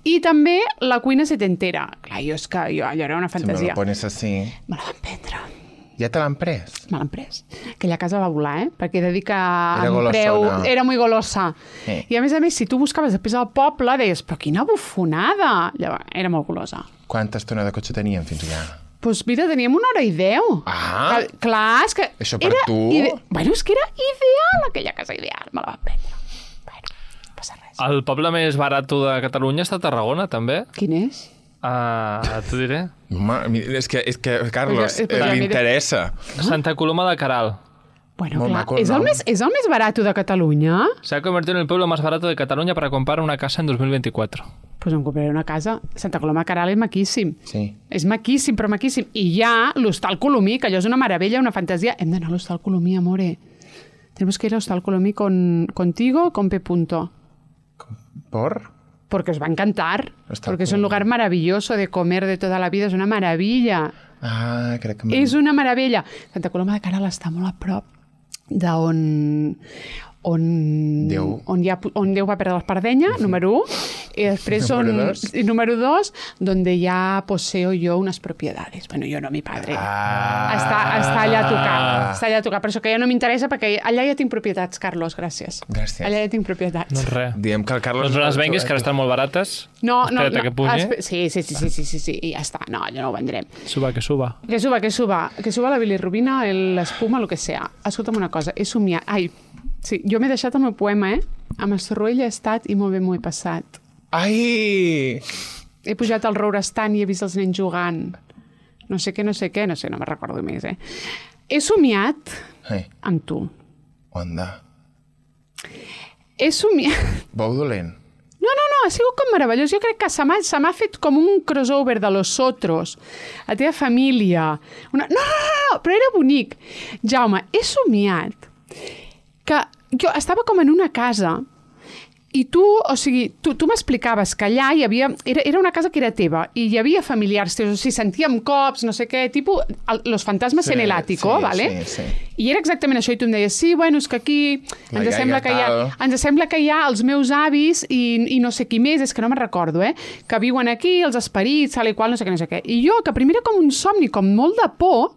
i també la cuina setentera. Clar, jo és que jo, allò era una Si me fantasia. lo pones así... Me la van prendre. Ja te l'han pres? Me l'han pres. Aquella casa va volar, eh? Perquè he de dir que Era en preu golossona. era molt golosa. Sí. I a més a més, si tu buscaves després al poble, deies, però quina bufonada! Llavors, era molt golosa. Quanta estona de cotxe teníem fins allà? Doncs mira, teníem una hora i deu. Ah. Que, clar, és que... Això per era tu? Ide... Bueno, és que era ideal, aquella casa ideal. Me la van prendre. Bueno, no passa res. El poble més barat de Catalunya està a Tarragona, també. Quin és? Uh, T'ho diré. Ma, és que, és que Carlos, Pues ja- pues ja eh, li mira. interessa. Santa Coloma de Caral. Bueno, Molt clar, maco el és el, nom. més, és el més barat de Catalunya? Se ha convertido en el pueblo más barato de Cataluña para comprar una casa en dos mil veinticuatro. Doncs pues em compraré una casa. Santa Coloma de Caral és maquíssim. Sí. És maquíssim, però maquíssim. I hi ha l'Hostal Colomí, que allò és una meravella, una fantasia. Hem d'anar a l'Hostal Colomí, amore. Tenemos que ir a l'Hostal Colomí con, contigo, con P. Punto. Por? Porque os va a encantar. Hostal Porque es un Colomí. lugar maravilloso de comer de toda la vida. És una meravella. Ah, crec que... És una meravella. Santa Coloma de Caral està molt a prop d'on on, Déu. on, hi ha, on Déu va perdre l'espardenya, número un, i després on, Número dos. i número dos, donde ya poseo yo unas propiedades. Bueno, yo no, mi padre. Ah. Està, està allà a tocar. Està allà a tocar. Per això que ja no m'interessa, perquè allà ja tinc propietats, Carlos, gràcies. Gràcies. Allà ja tinc propietats. Doncs res. Diem que el Carlos... Doncs no les venguis, que ara estan molt barates. No, no, Espera't no. a que pugi. espe- Sí, sí, sí, sí, sí, sí, sí, i ja està. No, allò no ho vendrem. Suba, que suba. Que suba, que suba. Que suba la bilirrubina, el- l'espuma, el que sea. Escolta'm una cosa, he somiat... Ai, sí, jo m'he deixat el meu poema, eh? Amb Estorroell he estat i molt bé m'ho he passat. Ai! He pujat al Rourestant i he vist els nens jugant. No sé què, no sé què, no sé, no me'n recordo més, eh? He somiat Ai, amb tu. onda. He somiat... Bou dolent. No, no, no, ha sigut com meravellós. Jo crec que se m'ha se m'ha fet com un crossover de Los Otros, la teva família. Una... No, no, no, no, però era bonic. Jaume, he somiat que jo estava com en una casa i tu, o sigui, tu, tu m'explicaves que allà hi havia... Era, era una casa que era teva i hi havia familiars teus, o sigui, sentíem cops, no sé què, tipus el, los fantasmes Sí, en el ático, sí, vale? sí, sí. I era exactament això, i tu em deies, sí, bueno, és que aquí La ens iaia sembla que hi ha... tal. Ens sembla que hi ha els meus avis i, i no sé qui més, és que no me'n recordo, eh? Que viuen aquí, els esperits, tal i qual, no sé què, no sé què. I jo, que primer era com un somni, com molt de por,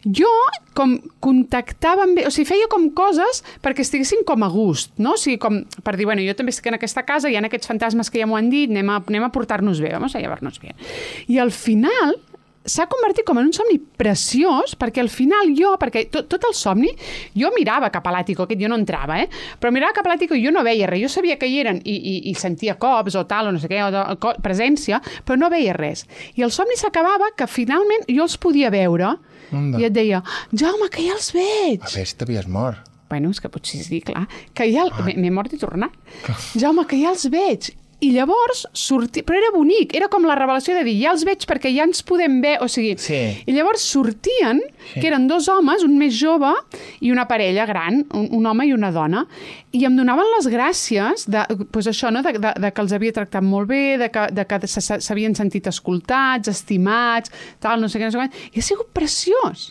jo com contactava amb... O sigui, feia com coses perquè estiguessin com a gust, no? O sigui, com per dir, bueno, jo també estic en aquesta casa, hi ha aquests fantasmes que ja m'ho han dit, anem a, anem a portar-nos bé, vamos a llevar-nos bé. I al final s'ha convertit com en un somni preciós, perquè al final jo, perquè tot, tot el somni, jo mirava cap a l'àtico, aquest jo no entrava, eh? Però mirava cap a l'àtico i jo no veia res. Jo sabia que hi eren i, i, i sentia cops o tal, o no sé què, o de, co, presència, però no veia res. I el somni s'acabava que finalment jo els podia veure Onda. I et deia, Jaume, que ja els veig. A veure si t'havies mort. Bueno, és que potser sí, clar. Que ja... Ah. M'he mort i tornat. Jaume, que ja els veig. I llavors sortia... Però era bonic, era com la revelació de dir, ja els veig perquè ja ens podem ver, o sigui... Sí. I llavors sortien, sí. que eren dos homes, un més jove i una parella gran, un, un home i una dona, i em donaven les gràcies de, pues això, no? de, de, de que els havia tractat molt bé, de que, de que s'havien sentit escoltats, estimats, tal, no sé què, no sé què. I ha sigut preciós.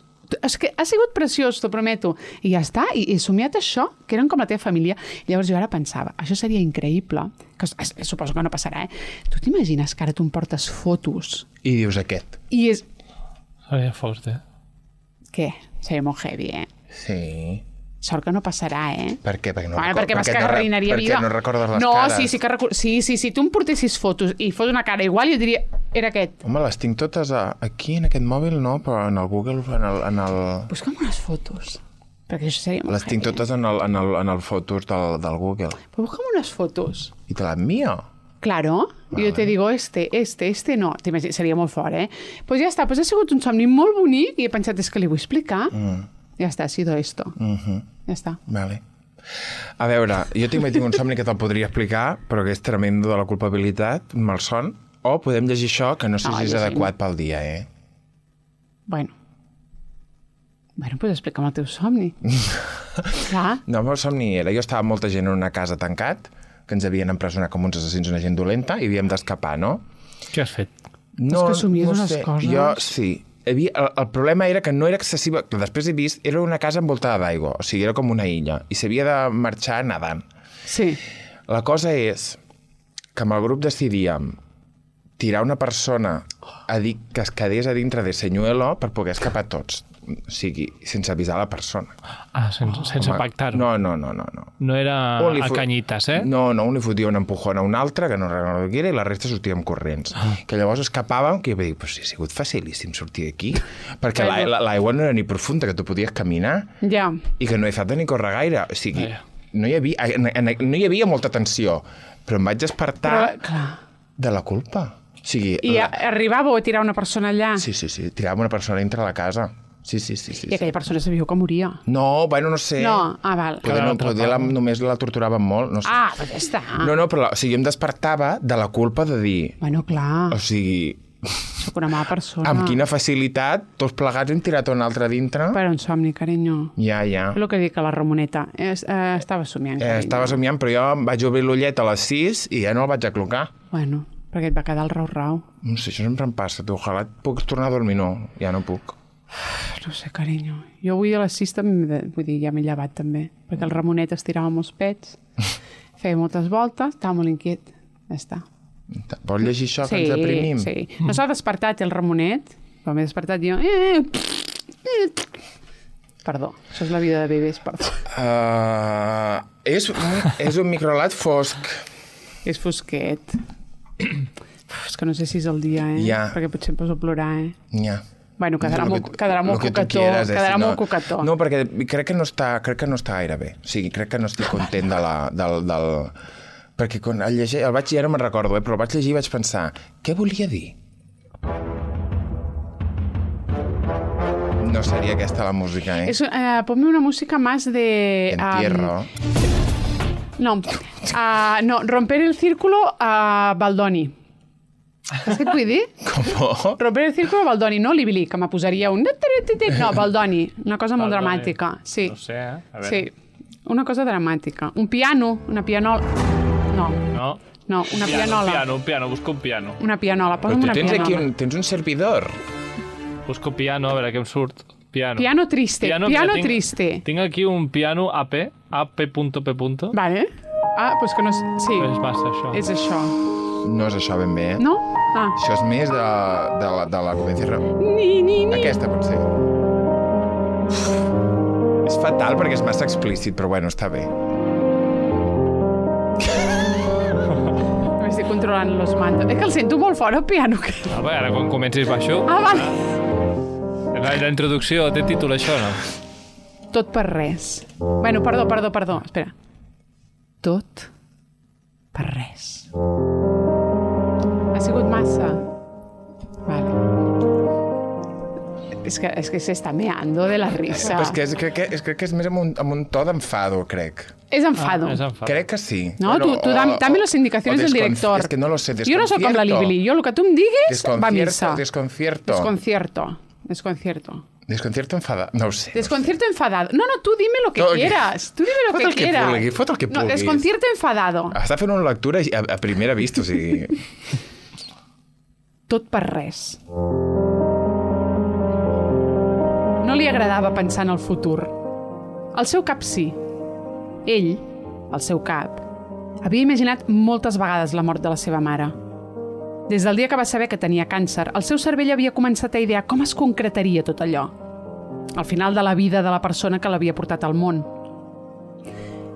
És que ha sigut preciós, t'ho prometo. I ja està, i he somiat això, que eren com la teva família. Llavors jo ara pensava, això seria increïble, que suposo que no passarà, eh? Tu t'imagines que ara tu em portes fotos? I dius aquest. I és... Seria fort, eh? Què? Seria molt heavy, eh? Sí. Sort que no passarà, eh? Per què? Perquè no, bueno, record... perquè vas que arruïnaria vida. Perquè no recordes les no, cares. Sí, sí, que record... sí, sí, sí, tu em portessis fotos i fos una cara igual, jo diria, era aquest. Home, les tinc totes a... aquí, en aquest mòbil, no, però en el Google, en el... En el... Busca'm unes fotos, perquè això seria molt Les tinc heavy, totes en el, en el, en el fotos del, del Google. Però busca'm unes fotos. I te l'envio? Claro, vale. Jo te digo este, este, este no. Seria molt fort, eh? Doncs pues ja està, pues ha sigut un somni molt bonic i he pensat, és que li vull explicar. Mm. Ja està, ha sido esto. Mm-hmm. Ja està. Vale. A veure, jo també tinc un somni que te'l podria explicar, però que és tremendo de la culpabilitat, un malson, o podem llegir això, que no sé no, si és adequat pel dia, eh? Bueno. Bueno, doncs explica'm el teu somni. Clar. No, el meu somni era, jo estava amb molta gent en una casa tancat, que ens havien empresonat com uns assassins, una gent dolenta, i havíem d'escapar, no? Què has fet? No, és que somies no unes sé. coses. Jo, sí. Havia, el, el problema era que no era excessiva, que després he vist, era una casa envoltada d'aigua, o sigui, era com una illa, i s'havia de marxar nedant. Sí. La cosa és que amb el grup decidíem tirar una persona a dir que es quedés a dintre de senyuelo per poder escapar tots, o sigui, sense avisar la persona. Ah, sense, sense pactar-ho. No, no, no, no, no. No era a fot... canyites, eh? No, no, un li fotia un empujón a un altre, que no recordo qui era, i la resta sortíem corrents. Ah. Que llavors escapàvem, que jo vaig dir, però si ha sigut facilíssim sortir d'aquí, perquè l'aigua no era ni profunda, que tu podies caminar, ja. I que no he falta ni córrer gaire. O sigui, ja. no, hi havia, no hi havia molta tensió, però em vaig despertar però, de la culpa. O sigui, I la... arribàveu a tirar una persona allà? Sí, sí, sí, tiràvem una persona dintre la casa. Sí, sí, sí, sí. I aquella persona sabíeu que moria? No, bueno, no sé. No, ah, val. Poder, no, poder la, només la torturaven molt, no sé. Ah, però ja està. No, no, però o sigui, em despertava de la culpa de dir... Bueno, clar. O sigui... Soc una mala persona. Amb quina facilitat, tots plegats hem tirat un altre dintre. Per un somni, carinyo. Ja, ja. És el que dic a la Ramoneta. Es, eh, estava somiant, carinyo. Eh, estava somiant, però jo em vaig obrir l'ullet a les sis i ja no el vaig aclocar. Bueno, perquè et va quedar el rau-rau. No sé, això sempre em passa. Tu, ojalà puc tornar a dormir. No, ja no puc. No sé, carinyo. Jo avui a les sis també, vull dir, ja m'he llevat també, perquè el Ramonet estirava molts pets, feia moltes voltes, estava molt inquiet. Ja està. Vols llegir això, que sí, ens deprimim? Sí, sí. No s'ha despertat el Ramonet, però m'he despertat jo... Perdó, això és la vida de bebès, perdó. Uh, és, un, és un microlat fosc. És fosquet. Uf, és que no sé si és el dia, eh? Ja. Perquè potser em poso a plorar, eh? Ja. Bueno, quedarà molt, quedarà molt coquetó. Quieres, eh? Quedarà si no, molt coquetó. No, perquè crec que no està, crec que no està gaire bé. O sigui, crec que no estic content de la, del... del... Perquè quan el llegir, el vaig, ja no me'n recordo, eh, però el vaig llegir i vaig pensar, què volia dir? No seria aquesta la música, eh? És, eh ponme una música más de... Entierro. Um, no, uh, no, romper el círculo a Baldoni. Saps què et vull dir? Com? Romper el círculo a Baldoni, no Libili, que me posaria un... No, Baldoni, una cosa molt Baldoni. dramàtica. Sí. No sé, eh? A veure. Sí, una cosa dramàtica. Un piano, una pianola... No. No. No, una piano, pianola. Un piano, un piano, busco un piano. Una pianola, Però posa'm tu una tens pianola. aquí un, tens un servidor. Busco piano, a veure què em surt. Piano. Piano triste, piano, piano tinc, triste. Tinc aquí un piano A P, A P punto P punto. Vale. Ah, doncs que no... Sí. És massa, això. És això. No és això ben bé, eh? No? Ah. Això és més de, de, la, de la Comencierra. Ni, ni, ni. Aquesta, potser. És fatal perquè és massa explícit, però bueno, està bé. controlant los mandos. És que el sento molt fort, el piano. Que... Ah, bé, ara quan comencis baixo... Ah, vale. La, la introducció té títol, això, no? Tot per res. Bueno, perdó, perdó, perdó. Espera. Tot per res. Ha sigut massa? Vale. És que, és que se està meando de la risa. Però és que, és, crec, que, és, crec que és més amb un, amb un to d'enfado, crec. És enfado. Ah, és enfado. Crec que sí. No, bueno, tu, tu dame, dame las indicaciones del director. Es que no lo sé, Jo no soc com la Libili. Jo el que tu em diguis va a missa. Desconcierto. Desconcierto. Desconcierto. Desconcierto enfadado. No ho sé. Desconcierto enfadado. No, no, tú dime lo que no, quieras. Tú dime lo fot que el que quieras. Vulgui, fot el que no, vulguis. desconcierto enfadado. Està fent una lectura a, a primera vista, o sigui... Tot per res. No li agradava pensar en el futur. Al seu cap sí. Ell, al seu cap, havia imaginat moltes vegades la mort de la seva mare. Des del dia que va saber que tenia càncer, el seu cervell havia començat a idear com es concretaria tot allò. Al final de la vida de la persona que l'havia portat al món.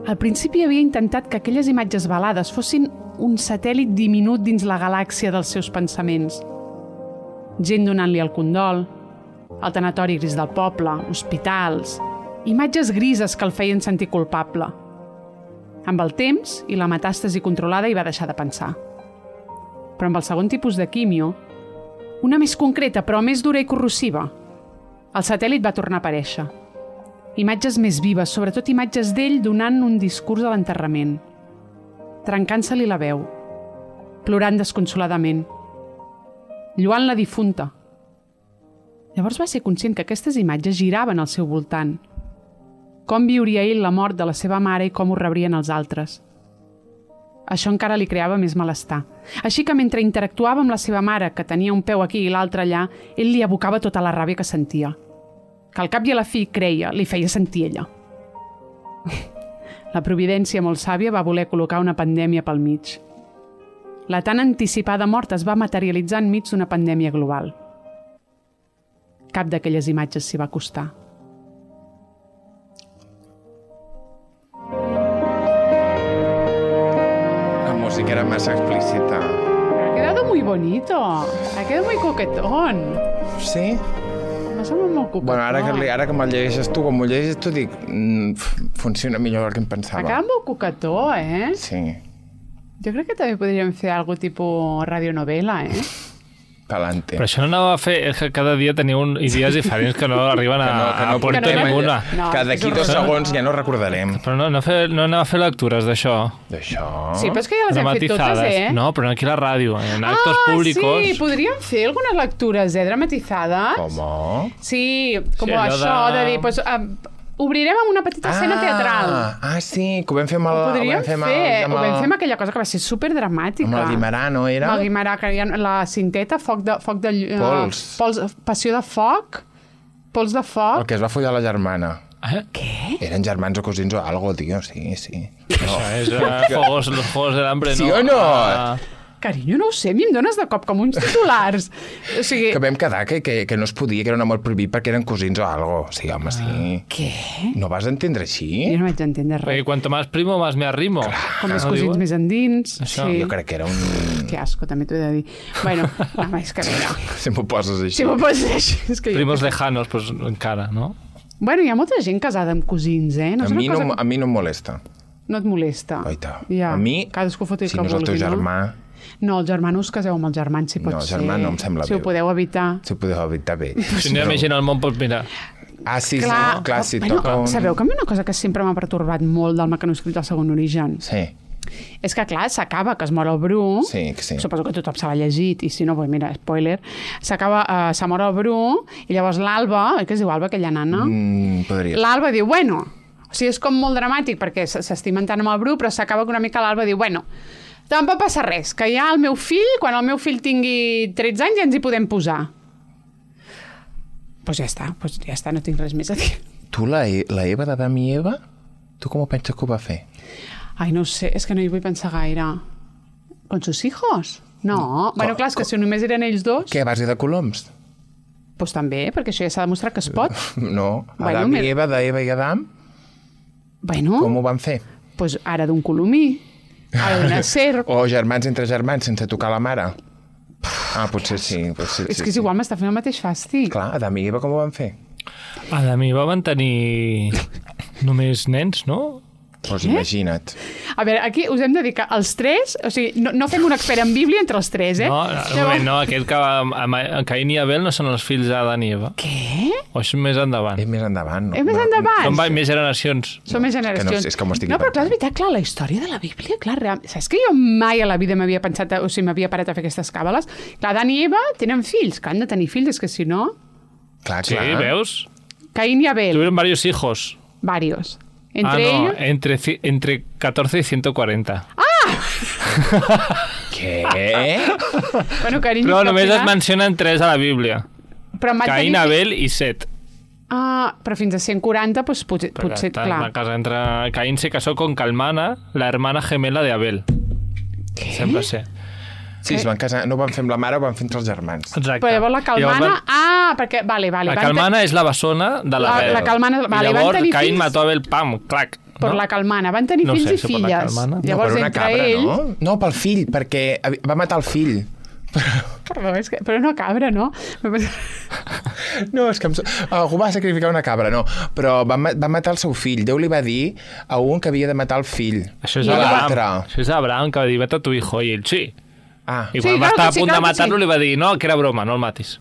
Al principi havia intentat que aquelles imatges velades fossin un satèl·lit diminut dins la galàxia dels seus pensaments. Gent donant-li el condol, el tanatori gris del poble, hospitals, imatges grises que el feien sentir culpable. Amb el temps i la metàstasi controlada hi va deixar de pensar. Però amb el segon tipus de químio, una més concreta però més dura i corrosiva, el satèl·lit va tornar a aparèixer. Imatges més vives, sobretot imatges d'ell donant un discurs a l'enterrament, trencant-se-li la veu, plorant desconsoladament, lluant la difunta. Llavors va ser conscient que aquestes imatges giraven al seu voltant. Com viuria ell la mort de la seva mare i com ho rebrien els altres. Això encara li creava més malestar. Així que mentre interactuava amb la seva mare, que tenia un peu aquí i l'altre allà, ell li abocava tota la ràbia que sentia. Que al cap i a la fi, creia, li feia sentir ella. La providència molt sàvia va voler col·locar una pandèmia pel mig. La tan anticipada mort es va materialitzar enmig d'una pandèmia global. Cap d'aquelles imatges s'hi va acostar. La música era massa explícita. Ha quedado muy bonito. Ha quedado muy coquetón. Sí? M'ha semblat molt coquetón. Bueno, ara que, ara que me'l llegeixes tu, com m'ho llegeixes tu, dic, mm, funciona millor del que em pensava. Ha quedat molt coquetó, eh? Sí. Jo crec que també podríem fer algo tipus radionovela, eh? Pa'lante. Però això no anava a fer... És que cada dia teniu un, idees diferents que no arriben a, Que no- que no a puerto portem ninguna. No, que és d'aquí dos horrorós. segons ja no recordarem. Però no, no, fer, no anava a fer lectures d'això. D'això... Sí, però és que ja les hem fet totes, eh? No, però aquí a la ràdio, en actos ah, públicos... sí, podríem fer algunes lectures, eh, dramatizades. Com? Sí, com Sí, allò això de- de, dir, pues, uh, obrirem amb una petita escena teatral. Ah, sí, que ho vam fer amb el... Ho podríem ho vam fer, amb fer, el, ho amb vam el, fer amb aquella cosa que va ser superdramàtica. amb el Guimarà, no era? Amb el Guimarà, que hi ha la cinteta, foc de... Foc de uh, Pols. pols. Passió de foc, pols de El foc. que es va follar la germana. Eh? Què? Eren germans o cosins o algo, tio, sí, sí. Això és uh, Juegos, los Juegos del Hambre, Sí no? o no? Ah, Carinyo, no ho sé, a mi em dones de cop com uns titulars. O sigui... Que vam quedar que, que, que no es podia, que era un amor prohibit perquè eren cosins o algo. Sí, home, sí. Què? No vas entendre així? Jo no vaig entendre res. perquè cuanto más primo, más me arrimo. Com més No cosins diuen? més endins. Això. Sí. Jo crec que era un... Que asco, també t'ho he de dir. Bueno, no, és que mira. Si m'ho poses així. Si m'ho poses així, és que jo... Primos lejanos, pues encara, no? Bueno, hi ha molta gent casada amb cosins, eh? No a, és una mi cosa no, que a mi no em molesta. no et molesta. Oita. Ja. A mi, Cadascú fot el si que no és el teu vulgui, germà... No, el germà no us caseu amb el germà, si pot No, ser. germà no em sembla Si bé. ho podeu evitar. Si ho podeu evitar bé. Si no hi ha més gent al món, doncs mira... Ah, sí, Clar, sí, clar, si bueno, toca un... sabeu que a mi una cosa que sempre m'ha pertorbat molt del mecanoscrit del segon origen? Sí, És que, clar, s'acaba que es mor el Bru. sí, que sí. Suposo que tothom se l'ha llegit, i si no, pues mira, spoiler. S'acaba, uh, se mor el Bru, i llavors l'Alba, oi que es diu Alba, aquella nana? Mm, podria ser. L'Alba diu, bueno, o sigui, és com molt dramàtic perquè s- s'estimen tant amb el Bru, però s'acaba que una mica l'Alba diu, bueno, tampoc passa res, que ja el meu fill, quan el meu fill tingui tretze anys, ja ens hi podem posar. Doncs pues ja està, pues ja està, no tinc res més a dir. Tu, la, E- la Eva d'Adam i Eva, tu com ho penses que ho va fer? Ai, no ho sé, és que no hi vull pensar gaire. Con sus hijos? No. Bueno, clar, és que si només eren ells dos, Què, a base de coloms? doncs també, perquè això ja s'ha demostrat que es pot. No, Bueno, Adam me- i Eva, d'Eva i Adam, Bueno, com ho van fer? doncs ara d'un colomí. ha de nacer... O germans entre germans sense tocar la mare. Ah, potser sí. Potser, És sí, que és sí. igual, m'està fent el mateix fàstic. Clar, Adam i Eva com ho van fer? Adam i Eva van tenir només nens, no? Doncs imagina't. A veure, aquí us hem de dir que els tres... O sigui, no, no fem un expert en Bíblia entre els tres, eh? No, un moment, no, aquest que va, Caín i Abel no són els fills d'Adam i Eva. Què? O és més endavant? És més endavant, no? És més endavant? Són més generacions. Són més que no generacions. sé, és que m'ho estic No, però clar, és inventant. veritat, clar, la història de la Bíblia, clar, real... Saps que jo mai a la vida m'havia pensat, o sigui, m'havia parat a fer aquestes càbales? Clar, Adán i Eva tenen fills, que han de tenir fills, és que si no... Clar, Sí, clar. veus? Caín i Abel, Tuvieron varios hijos. varios. Entre ah, no, ellos... entre, ci- entre catorce y ciento cuarenta. Què? Bueno, carinyo, Però que al només es final- mencionen tres a la Bíblia. Però em van Caín, tenir... Abel i Set. Ah, però fins a cent quaranta, doncs potser, Perquè potser està clar. una casa entre... Caín se casó con Calmana, la hermana gemela de Abel. Què? Sembla ser. Sí, es van casar, no ho van fer amb la mare, ho van fer entre els germans. Exacte. Però llavors la Calmana... Llavors van- Ah, perquè... Vale, vale. La van Calmana és la bessona de l'Abel. La- la Calmana- vale, I van llavors tenir Caín fills- mató Abel, pam, clac. Per no? la Calmana. Van tenir No fills sé, i això per la filles. Calmana. No, Llavors, per una entre cabra, ells... no? No, pel fill, perquè va matar el fill. Perdó, és que... Però una cabra, no? No, és que em... algú va sacrificar una cabra, no. Però va, ma- va matar el seu fill. Déu li va dir a un que havia de matar el fill. Això és I Abraham. l'altre. Això és Abraham, que va dir, vete a tu hijo. I ell, sí. Ah, I Sí, quan va clar estar que a sí, punt clar de que matar-lo sí. li va dir, no, que era broma, no el matis.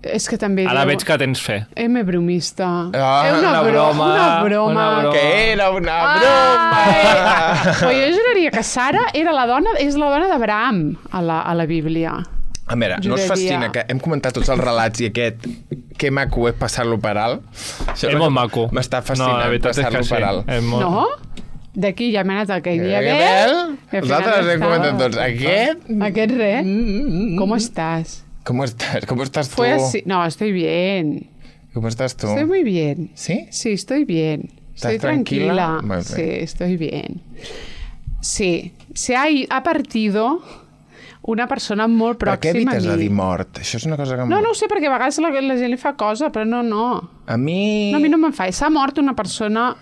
És que també... Ara diu- veig que tens fe. M bromista. Ah, Eh, una, una bro broma, una broma. una broma. que era una Ai! broma! Però jo juraria que Sara era la dona, és la dona d'Abraham a la, a la Bíblia. A veure, no us Juraria. fascina que hem comentat tots els relats i aquest que maco és passar-lo per alt? Això És molt maco. M'està No, fascinant la veritat és passar-lo que per sí. alt. És molt... No? D'aquí ja hem anat al que hi havia Eh, Abel? Els altres hem comentat tots. Aquest? Aquest res. ¿Cómo estás? ¿Cómo estás? ¿Cómo estás tú? Fue así. No, estoy bien. ¿Cómo estás tú? Estoy muy bien. ¿Sí? Sí, estoy bien. ¿Estás Estoy tranquila. tranquila? Muy bien. Sí, estoy bien. Sí, se ha, i- ha partido una persona molt Per què pròxima evites a de mi. dir mort? Això és una cosa que... em- No, no ho sé, perquè a vegades la, la gent li fa cosa, però no, no. A mi... No, a mi no me'n fa. S'ha mort una persona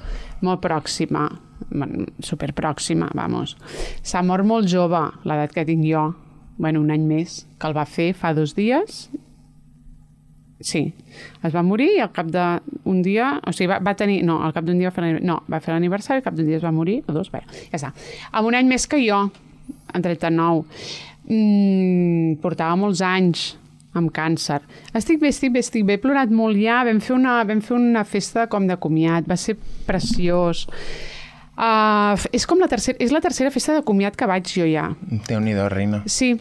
molt pròxima, bueno, superpròxima, vamos. S'ha mort molt jove, l'edat que tinc jo. Bueno, un any més, que el va fer fa dos dies. Sí, es va morir i al cap d'un dia... O sigui, va, va tenir... No, al cap d'un dia va fer l'aniversari. No, va fer l'aniversari, al cap d'un dia es va morir, o dos, bé, ja està. Amb un any més que jo, en trenta-nou. Mm, portava molts anys amb càncer. Estic bé, estic bé, estic bé. He plorat molt ja. Vam fer una, vam fer una festa com de comiat. Va ser preciós. Uh, és com la tercera, és la tercera festa de comiat que vaig jo ja. Déu-n'hi-do, reina. Sí,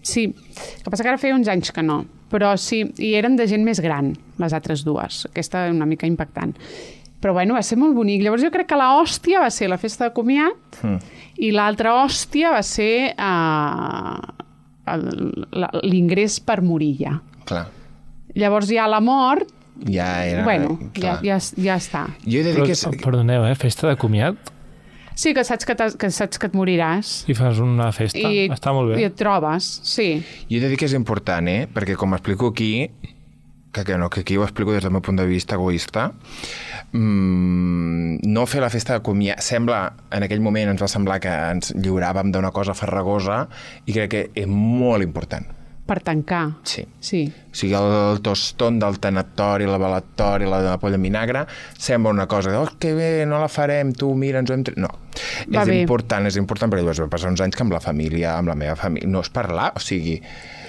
sí. El que passa que ara feia uns anys que no. Però sí, i eren de gent més gran, les altres dues. Aquesta una mica impactant. Però bueno, va ser molt bonic. Llavors jo crec que la hòstia va ser la festa de comiat mm. i l'altra hòstia va ser uh, l'ingrés per morir ja. Clar. Llavors ja la mort, Ja era... bueno, ja, clar. ja, ja està. Jo he de dir Però, que... És... perdoneu, eh? Festa de comiat? Sí, que saps que, que, saps que et moriràs. I fas una festa. I, Està molt bé. I et trobes, sí. Jo he de dir que és important, eh? Perquè com explico aquí, que, que, no, que aquí ho explico des del meu punt de vista egoista, mmm, no fer la festa de comiat... Sembla, en aquell moment ens va semblar que ens lliuràvem d'una cosa farragosa i crec que és molt important. Per tancar. Sí. Sí. O sigui, el toston del tanatori, la balatori, la de la polla en vinagre, sembla una cosa de, oh, que bé, no la farem, tu, mira, ens ho hem... Tre-". No, Va és bé. important, és important, perquè llavors va passar uns anys que amb la família, amb la meva família, no és parlar, o sigui...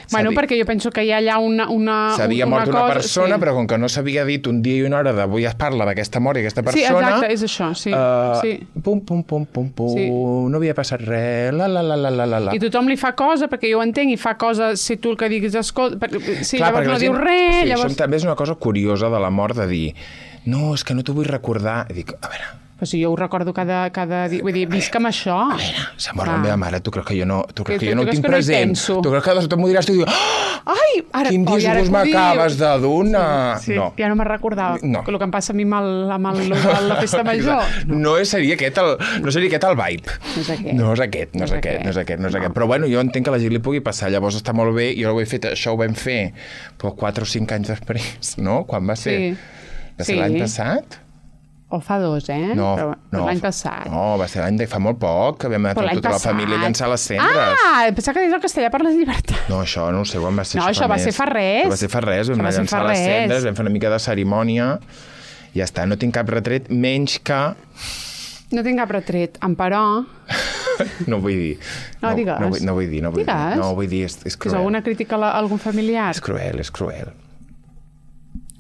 Bueno, sabi- perquè jo penso que hi ha allà una, una, S'havia una mort una cosa... persona, sí. però com que no s'havia dit un dia i una hora d'avui es parla d'aquesta mort i aquesta Sí, persona... exacte, és això, sí. Uh, sí. Pum, pum, pum, pum, pum, Sí. no havia passat res, la, la, la, la, la, la, la. I tothom li fa cosa, perquè jo ho entenc, i fa cosa si tu el que diguis, escolta... Per... Sí, Clar, llavors perquè no la diu gent- res, sí, llavors... Això també és una cosa curiosa de la mort, de dir no, és que no t'ho vull recordar. I dic, a veure... Però si jo ho recordo cada, cada dia, vull dir, visc amb això. A veure, s'ha mort la Clar. meva mare, tu creus que jo no, tu creus Que que, tu- jo no tu ho creus tinc que no hi present? penso? Tu creus que de sobte m'ho diràs tu i dius, oh, Ai! Ara, quin oi, ara disgust que ho dius. m'acabes de donar? Sí, No. ja no me'n recordava. No. El que em passa a mi amb, el, amb, el, amb la festa major. No. no seria aquest el, no seria aquest el vibe. No és aquest. No és aquest, no és aquest, no és aquest, no és aquest. Però bueno, jo entenc que a la gent li pugui passar, llavors està molt bé, jo ho he fet, això ho vam fer però quatre o cinc anys després, no? Quan va ser? Sí. Va ser Sí. l'any passat? O fa dos, eh? No, Però, no. L'any passat. No, va ser l'any de fa molt poc, que vam anar tota la passat. família a llançar les cendres. Ah, pensava que deies el castellà per les llibertats. No, això no ho sé, quan va ser No, això. això va més. ser fa res. Això va ser fa res, vam Això va anar a ser llançar fa les res. cendres, vam fer una mica de cerimònia, i ja està, no tinc cap retret, menys que... No tinc cap retret, però... No vull dir. No, digues. No, vull, no vull dir, no vull Digues. dir. No vull dir, és, és Que és cruel. alguna crítica a, la, a algun familiar? És cruel, és cruel.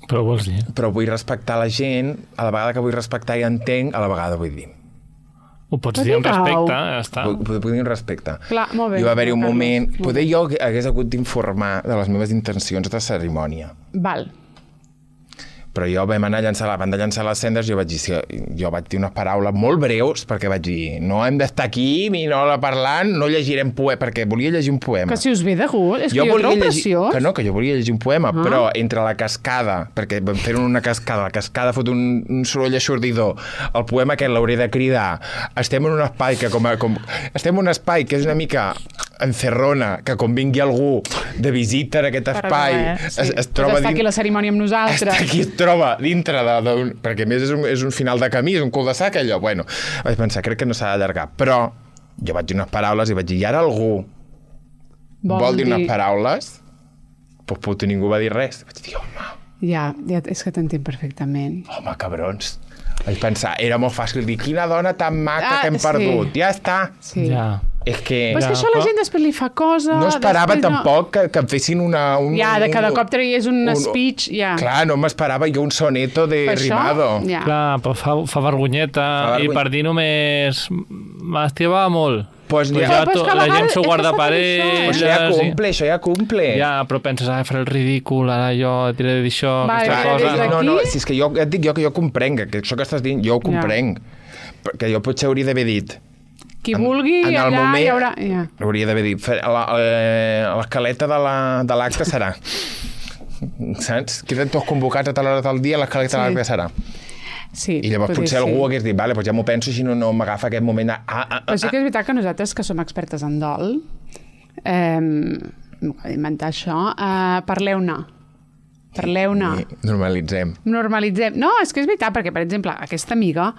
Però vols dir? Però vull respectar la gent, a la vegada que vull respectar i entenc, a la vegada vull dir. Ho pots Però dir amb digueu. respecte, ja està. Vull, vull dir amb respecte. Clar, molt bé. I va haver-hi un Carlos, moment... molt Poder bé. jo hagués hagut d'informar de les meves intencions de cerimònia. Val. Però jo vam anar a llançar, la banda llançar les cendres, jo vaig dir, sí, jo vaig dir unes paraules molt breus, perquè vaig dir, no hem d'estar aquí, ni no la parlant, no llegirem poema, perquè volia llegir un poema. Que si us ve de gust, és que jo, jo volia trobo llegir, preciós. que no, que jo volia llegir un poema, Ah. però entre la cascada, perquè vam fer una cascada, la cascada fot un, un soroll aixordidor, el poema aquest l'hauré de cridar, estem en un espai que com, a, com estem en un espai que és una mica encerrona, que quan vingui algú de visita en aquest espai, Però no, eh? Sí. es, es Pues troba està aquí dins... la cerimònia amb nosaltres. Està aquí, es troba dintre de... de un, perquè a més és un, és un final de camí, és un cul de sac, allò. Bueno, vaig pensar, crec que no s'ha d'allargar. Però jo vaig dir unes paraules i vaig dir, i ara algú vol, vol dir unes paraules? Doncs puto, ningú va dir res. Vaig dir, home, Ja, ja, és que t'entenc perfectament. home, cabrons. Vaig pensar, era molt fàcil dir, quina dona tan maca Ah, que hem sí. perdut. Ja està. Sí. Ja. És que... Però és que Ja, això la però- gent després li fa cosa... No esperava després tampoc que, que em fessin una... Un, Ja, de cada un- cop traies un, un- speech, ja. Clar, no m'esperava jo un soneto de Per això, rimado. ja. Clar, però fa, fa vergonyeta, Fa vergony- i per dir només m'estimava molt. Pues Pues ja- ja Però és to, que a la vegades gent s'ho és que guarda s'ha per de dir això. ells. Això ja cumple, això ja cumple. Ja, però penses, ah, faré el ridícul, ara jo diré d'això, Vale, aquesta des cosa. d'aquí- No, no, si és que jo, ja et dic jo que jo comprenc, que això que estàs dient, jo ho comprenc. Perquè jo potser hauria d'haver dit... Qui vulgui, en el allà moment, hi haurà... Ja. Hauria d'haver dit, fer- la- la- l'escaleta de la- de l'acte serà. Saps? Queden tots convocats a tal hora del dia, l'escaleta de Sí. l'acte serà. Sí, I llavors podria potser ser. algú hagués dit, vale, doncs ja m'ho penso, si no, no m'agafa aquest moment de... Ah, ah, Però ah, sí que és veritat que nosaltres, que som expertes en dol, eh, no cal inventar això, eh, parleu-ne. Parleu-ne. i normalitzem. Normalitzem. No, és que és veritat, perquè, per exemple, aquesta amiga,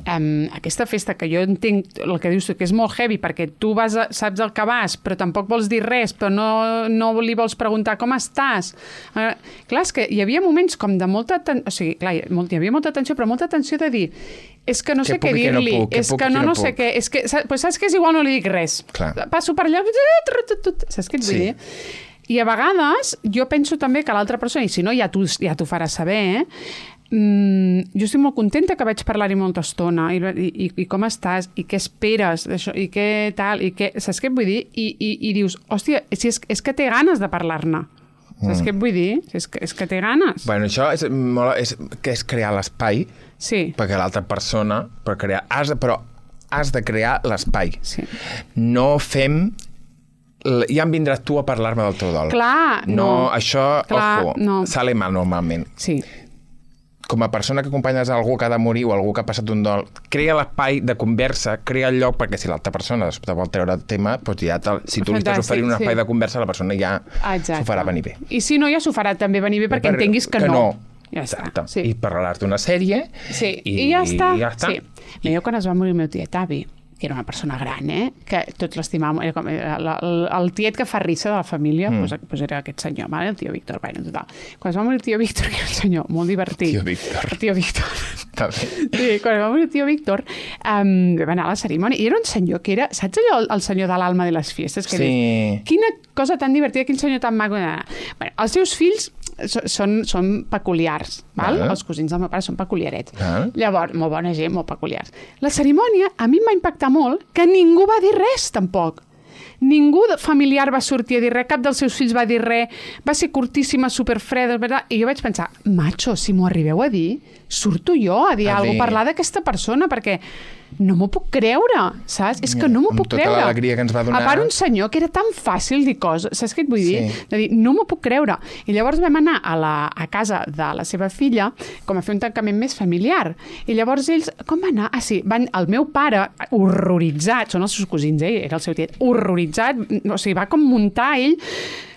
um, aquesta festa que jo entenc el que dius tu, que és molt heavy, perquè tu vas a, saps el que vas, però tampoc vols dir res, però no, no li vols preguntar com estàs. Uh, clar, és que hi havia moments com de molta tensió, o sigui, clar, hi hi havia molta tensió, però molta tensió de dir és que no sé Què què puc i què no dir-li, puc, què és puc que i què no, no no sé puc. què, és que, saps, pues saps que és igual, no li dic res. Clar. Passo per allà, saps què et vull Sí. dir? I a vegades jo penso també que l'altra persona, i si no ja t'ho ja t'ho farà saber, eh? mm, jo estic molt contenta que vaig parlar-hi molta estona i, i, i com estàs, i què esperes d'això, i què tal, i què, saps què et vull dir? I, i, i dius, hòstia, si és, és que té ganes de parlar-ne. Saps mm. què et vull dir? És que, és que té ganes. Bueno, això és, molt, és, que és crear l'espai Sí, perquè l'altra persona, per crear, has de, però has de crear l'espai. sí. No fem... l- Ja em vindràs tu a parlar-me del teu dol. Clar, no. no. Això, Clar, ojo, no. sale mal normalment. Sí, Com a persona que acompanyes algú que ha de morir o algú que ha passat un dol, crea l'espai de conversa, crea el lloc, perquè si l'altra persona te vol treure el tema, doncs ja te, si tu li estàs Fantàstic, oferint un espai sí. de conversa, la persona ja exacte. s'ho farà venir bé. I si no, ja s'ho farà també venir bé perquè entenguis que, no. Ja està. Exacte. Sí. I parlaràs d'una sèrie Sí, i, i, ja està. i ja està. Sí. Mira, jo quan es va morir el meu tiet avi, que era una persona gran, eh? Que tots l'estimàvem, era com era el, el, el tiet que fa risa de la família, mm. pues, pues era aquest senyor, vale? El tio Víctor, bueno, total. Quan es va morir el tio Víctor, que era un senyor molt divertit. Tio Víctor. El tio Víctor. Està bé. Sí, quan es va morir el tio Víctor, um, vam anar a la cerimònia, i era un senyor que era, saps allò, el, el senyor de l'alma de les fiestes? Que Sí. dius, quina cosa tan divertida, quin senyor tan maco. Bueno, els seus fills so- són, són peculiars, val? Val. Els cosins del meu pare són peculiarets. Val. Llavors, molt bona gent, molt peculiars. La cerimònia a mi em va impactar molt que ningú va dir res, tampoc. Ningú de familiar va sortir a dir res, cap dels seus fills va dir res, va ser curtíssima, superfreda, verdad? I jo vaig pensar, macho, si m'ho arribeu a dir, surto jo a dir A alguna dir- cosa, parlar d'aquesta persona, perquè no m'ho puc creure, saps? És que no m'ho Amb puc tota creure. l'alegria que ens va donar. A part, un senyor que era tan fàcil dir coses, saps què et vull dir? Sí. De dir, no m'ho puc creure. I llavors vam anar a, la, a casa de la seva filla com a fer un tancament més familiar. I llavors ells, com va anar? Ah, sí, van, el meu pare, horroritzat, són els seus cosins, eh? Era el seu tiet, horroritzat, o sigui, va com muntar ell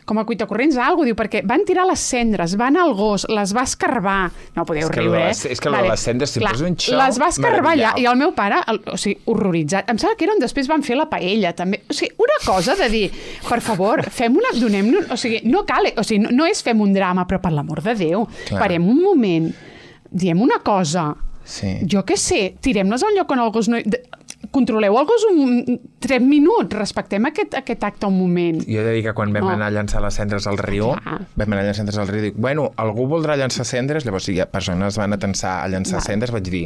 com a cuitacorrents algo, diu, perquè van tirar les cendres, van al gos, les va escarbar. No podeu riure, eh? És que vale. Les cendres sempre és un xou. Les va escarbar allà, i el meu pare, el, o sigui, horroritzat. Em sembla que era on després van fer la paella, també. O sigui, una cosa de dir, per favor, fem una... donem-nos... O sigui, no cal... O sigui, no, no és fem un drama, però per l'amor de Déu, clar. Parem un moment, diem una cosa... Sí. Jo què sé, tirem-les a un lloc on el gos no... Controleu el gos un... tres minuts, respectem aquest, aquest acte un moment. Jo he de dir que quan vam no. anar a llançar les cendres al riu, clar. vam anar a llançar cendres al riu, dic, bueno, algú voldrà llançar cendres? Llavors, si hi ha persones van a tensar a llançar Va. cendres, vaig dir,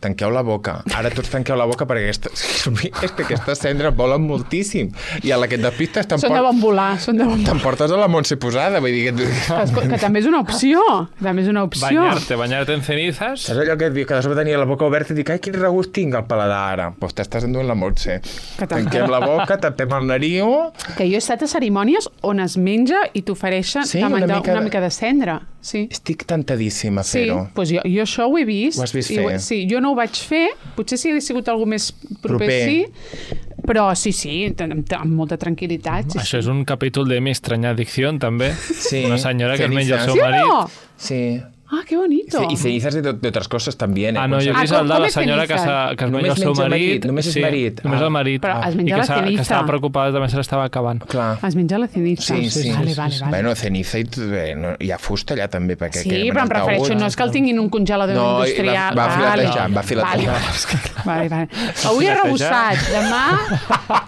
tanqueu la boca. Ara tots tanqueu la boca perquè aquesta... és que aquestes cendres volen moltíssim. I a la que et despistes Són de bon volar, són de bon volar. T'emportes a la Montse Posada, vull dir... Que... Que, que també és una opció, també és una opció. Bañarte, bañarte en cenizas. És allò que et diu, que de sobte tenia la boca oberta i dic, ai, quin regust tinc al paladar ara. Pues t'estàs enduent la Montse. Tanquem la boca, tapem el nariu... Que jo he estat a cerimònies on es menja i t'ofereixen sí, una, mica... una mica de cendra. Sí. Estic tentadíssima a fer-ho. Sí, doncs jo, jo això ho he vist. Ho has vist fer? Ho, sí, jo no ho vaig fer, potser si hagués sigut algú més proper, proper. sí, però sí, sí, amb, amb molta tranquil·litat. Sí, Això sí. és un capítol de Mi estranya adicción, també. Sí. Una senyora que es menja el seu ¿Sí marit. o no? Sí. Ah, qué bonito. Y cenizas de, de otras cosas también. Eh? Ah, no, jo he vist el de la senyora que, que es menja el seu marit. Només és sí, marit. Només ah. el marit. Però es menja I que, la ceniza. que estava preocupada, també se l'estava acabant. Clar. Es menja la ceniza. Sí, sí. Vale, sí, vale, sí. vale. Bueno, ceniza i bé, no, hi ha fusta allà també. Perquè sí, però em refereixo, no és que el tinguin un congelador no, industrial. Va, va filetejant, va filetejant. Vale, vale. vale. Avui he rebossat, demà...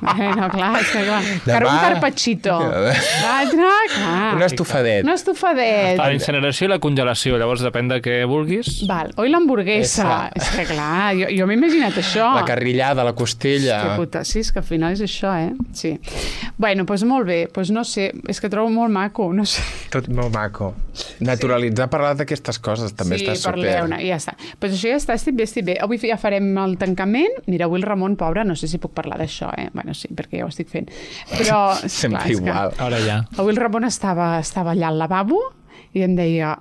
Bueno, clar, és que clar. Demà... Un carpaccio. L'altre, clar. Un estofadet. Un estofadet. La incineració i la congelació, llavors depèn de què vulguis. Val, oi l'hamburguesa. És que clar, jo, jo m'he imaginat això. La carrillada, la costella. Que puta, sí, és que al final és això, eh? Sí. Bueno, doncs molt bé, doncs no sé, és que trobo molt maco, no sé. Tot molt maco. Naturalitzar sí. parlar d'aquestes coses també sí, està super. Sí, parleu-ne, i ja està. Doncs això ja està, estic bé, estic bé. Avui ja farem el tancament. Mira, avui el Ramon, pobre, no sé si puc parlar d'això, eh? Bueno, sí, perquè ja ho estic fent. Però, sempre clar, igual. Que... Ara ja. Avui el Ramon estava, estava allà al lavabo i em deia,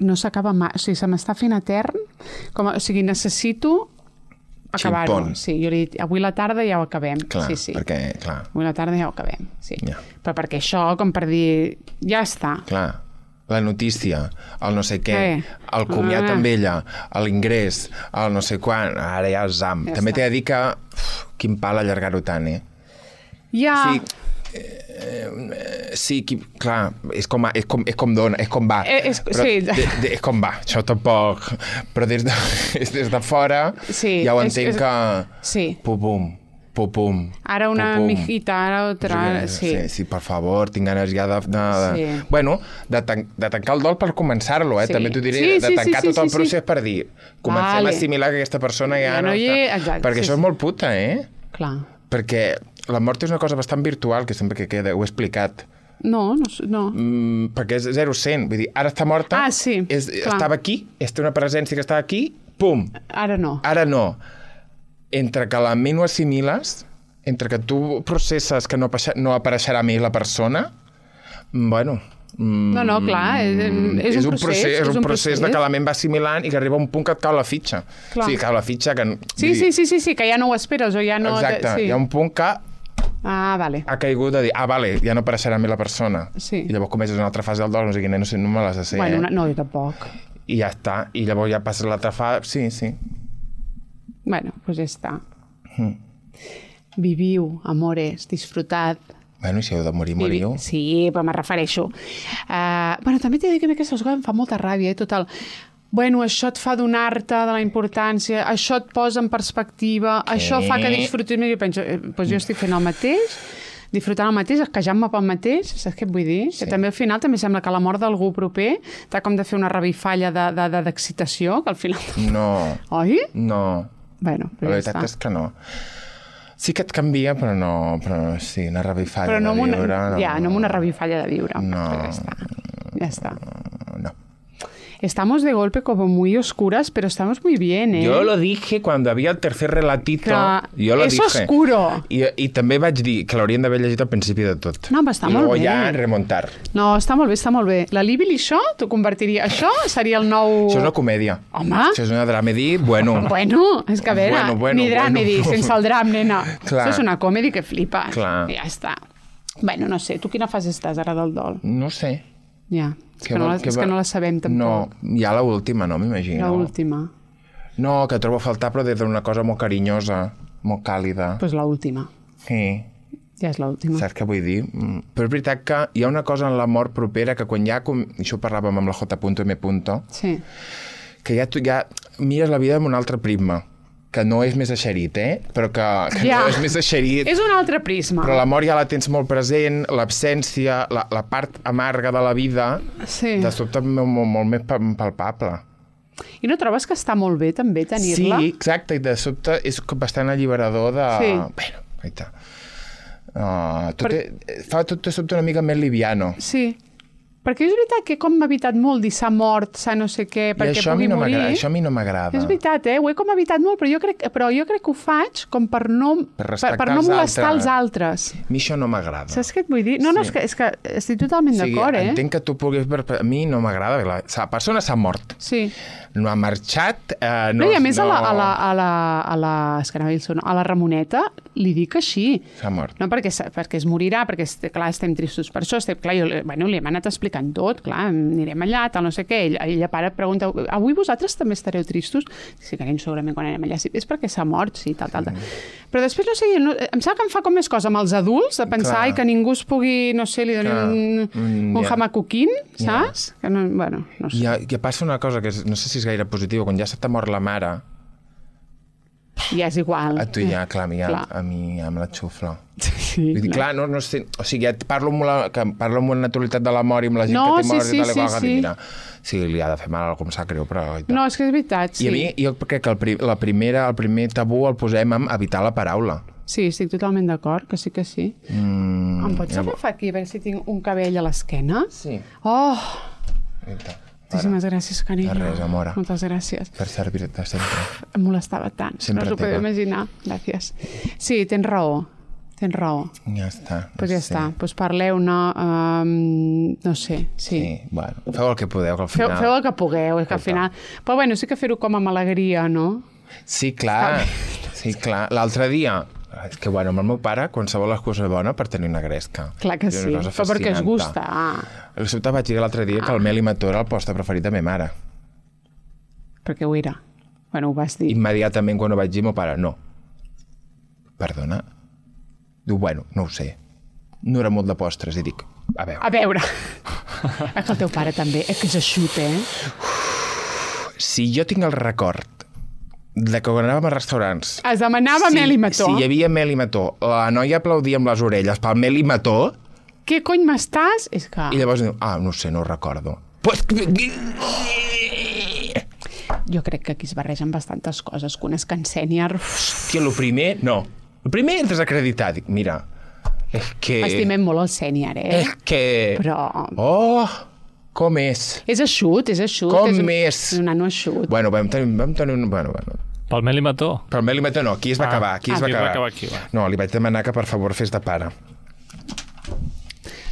no s'acaba mai, o sigui, se m'està fent etern, com, o sigui, necessito acabar-ho. Sí, jo li he dit, avui la tarda ja ho acabem. Clar, sí, sí. perquè, clar. Avui la tarda ja ho acabem, sí. Ja. Però perquè això, com per dir, ja està. Clar, la notícia, el no sé què, eh. el comiat ah. amb ella, l'ingrés, el no sé quan, ara ja el zam. Ja també està. t'he de dir que, uf, quin pal allargar-ho tant, eh? Ja... Sí, Eh, sí, qui, clar, és com, és com, és com dona, és com va. Eh, és, però sí. de, de, és com va, això tampoc. Però des de, des de fora sí, ja ho és, entenc és, que... Sí. Pum-pum, pum-pum. Ara una pum, pum. mijita, ara otra... Sí. sí, sí, per favor, tinc ganes ja de... de, de... Sí. Bueno, de, tan, de tancar el dol per començar-lo, eh? Sí. També t'ho diré, sí, de sí, tancar sí, tot sí, el procés sí. per dir, comencem vale. a assimilar que aquesta persona ja, ja no, no hi està... és... Exacte, perquè sí, això sí. és molt puta, eh? Clar. Perquè la mort és una cosa bastant virtual, que sempre que queda, ho he explicat. No, no. no. Mm, perquè és zero cent. Vull dir, ara està morta, ah, sí, és, estava aquí, és una presència que estava aquí, pum. Ara no. Ara no. Entre que la ment ho assimiles, entre que tu processes que no, no apareixerà més la persona, bueno... Mm, no, no, clar, és, és, és un, un procés. procés. És un, un procés, procés de que la ment va assimilant i que arriba a un punt que et cau la fitxa. Clar. Sí, cau la fitxa que... Sí, sí, sí, sí, sí, que ja no ho esperes o ja no... Exacte, sí. hi ha un punt que ah, vale. ha caigut de dir, ah, vale, ja no apareixerà més la persona. Sí. I llavors comences una altra fase del dol, no sé quina, no, sé, no me les sé, bueno, eh? una, no, jo tampoc. I ja està, i llavors ja passes l'altra fase, sí, sí. Bueno, doncs pues ja està. Mm. Viviu, amores, disfrutad. Bueno, i si heu de morir, moriu. Sí, però me refereixo. Uh, bueno, també t'he de dir que aquestes coses em fa molta ràbia, eh, total. Bueno, això et fa donar-te de la importància, això et posa en perspectiva, què? Això fa que disfrutis més. Jo penso, eh, doncs jo estic fent el mateix, disfrutant el mateix, esquejant-me pel mateix, saps què et vull dir? Sí. Que també al final també sembla que la mort d'algú proper t'ha com de fer una revifalla d'excitació, que al final... No. Oi? No. Bueno, la veritat és que no. Sí que et canvia, però no... Però sí, una revifalla però no de viure... Una, no, ja, no amb una revifalla de viure. No. Ja està. Ja està. No. Estamos de golpe como muy oscuras, pero estamos muy bien, ¿eh? Yo lo dije cuando había el tercer relatito. Que yo lo es dije. oscuro. I, I també vaig dir que l'haurien d'haver llegit al principi de tot. No, però està I molt bé. I ja remuntar. No, està molt bé, està molt bé. La Líbil i això, t'ho convertiria... Això seria el nou... Això és una comèdia. Home! Això és una dramedy, bueno. Bueno, és que a veure, bueno, bueno, ni dramedy, bueno. sense el dram, nena. Clar. Això és una comèdia que flipa. Clar. I ja està. Bueno, no sé, tu quina fase estàs ara del dol? No sé. Ja, és que, que, no, la, que, és que no la sabem tampoc. No, ja l'última, no, m'imagino. L'última. No, que trobo a faltar, però des d'una cosa molt carinyosa, molt càlida. Doncs pues l'última. Sí. Ja és l'última. Saps què vull dir? Però és veritat que hi ha una cosa en la mort propera que quan ja... Com... Això ho parlàvem amb la J M. Sí. Que ja, tu, ja mires la vida amb un altre prisma, que no és més eixerit, eh? Però que, que ja. no és més eixerit. És un altre prisma. Però la mort ja la tens molt present, l'absència, la, la part amarga de la vida, sí. de sobte molt, molt, molt més palpable. I no trobes que està molt bé també tenir-la? Sí, exacte, i de sobte és bastant alliberador de... Sí. Bueno, aita. Uh, tot per... és, fa tot de sobte una mica més liviano. Sí, perquè és veritat que com m'ha evitat molt dir s'ha mort, s'ha no sé què, perquè pugui no morir. Això a mi no m'agrada. És veritat, eh? Ho he com evitat molt, però jo crec, però jo crec que ho faig com per no, per per, per no molestar els altres. A mi això no m'agrada. Saps què et vull dir? No, sí. no, és que, és que estic totalment sí, d'acord, eh? Entenc que tu puguis... A mi no m'agrada. La, la persona s'ha mort. Sí. No ha marxat. Eh, no, no, I a més no... a, la, a, la, a, la, a, la, és que no, a la Ramoneta li dic així. S'ha mort. No perquè, perquè es morirà, perquè clar, estem tristos per això. Estem, clar, jo, bueno, li hem anat explicant tot, clar, anirem allà, tal, no sé què. Ell, ella para pregunta, avui vosaltres també estareu tristos? Sí, carinyo, segurament quan anem allà. Sí, és perquè s'ha mort, sí, tal, tal, tal. Mm. Però després, no sé, no, em sembla que em fa com més cosa amb els adults, de pensar ai, que ningú es pugui, no sé, li doni un, mm, un yeah. hamacuquín, saps? Yeah. Que no, bueno, no sé. Ja, ja passa una cosa que és, no sé si és gaire positiva, quan ja se t'ha mort la mare... Ja és igual. A tu ja, clar, a mi, clar. A, a mi ja me la xufla. Sí, Vull dir, no. clar, no, no sé... O sigui, ja parlo amb, la, que parlo amb una naturalitat de la mort i amb la gent no, que té sí, mort sí, i tal, sí, i sí. mira, sí, li ha de fer mal, com sap greu, però... No, és que és veritat, sí. I a mi, jo crec que el, pri, la primera, el primer tabú el posem en evitar la paraula. Sí, estic totalment d'acord, que sí que sí. Mm, em pots agafar aquí, a veure si tinc un cabell a l'esquena? Sí. Oh! Eita. Moltíssimes gràcies, carinyo. De res, amora. Moltes gràcies. Per servir-te sempre. Em molestava tant. Sempre no us ho podeu imaginar. Gràcies. Sí, tens raó. Tens raó. Ja està. Doncs pues ja sí. està. Doncs pues parleu-ne, um, no sé, sí. Sí, bueno, feu el que podeu, que al final... Feu, feu el que pugueu, que al final... Però bueno, sí que fer-ho com amb alegria, no? Sí, clar. Sí, clar. L'altre dia... És que, bueno, amb el meu pare, qualsevol excusa bona per tenir una gresca. Clar que sí, però perquè es gusta. Ah. El sobte vaig dir l'altre dia ah. que el mel i mató era el postre preferit de ma mare. Perquè ho era. Bueno, ho vas dir. Immediatament, quan ho vaig dir, meu pare, no. Perdona? Diu, bueno, no ho sé. No era molt de postres, i dic, a veure. A veure. És que el teu pare també, és que és eixut, eh? Uf, si jo tinc el record de que quan anàvem a restaurants... Es demanava si, mel i mató. Si hi havia mel i mató, la noia aplaudia amb les orelles pel mel i mató... Què cony m'estàs? És que... I llavors diu, ah, no sé, no ho recordo. Pues... Jo crec que aquí es barregen bastantes coses, que un és can sènior... Hòstia, el primer... No. El primer és desacreditar. Dic, mira, és que... Estimem molt el sènior, eh? És que... Però... Oh... Com és? És eixut, és eixut. Com és un, és? És un nano eixut. Bueno, vam tenir, vam tenir un... Bueno, bueno. Pel mel i mató? Pel mel i mató no, aquí es va ah. acabar. Aquí es ah, va acabar. va acabar aquí, va. No, li vaig demanar que per favor fes de pare.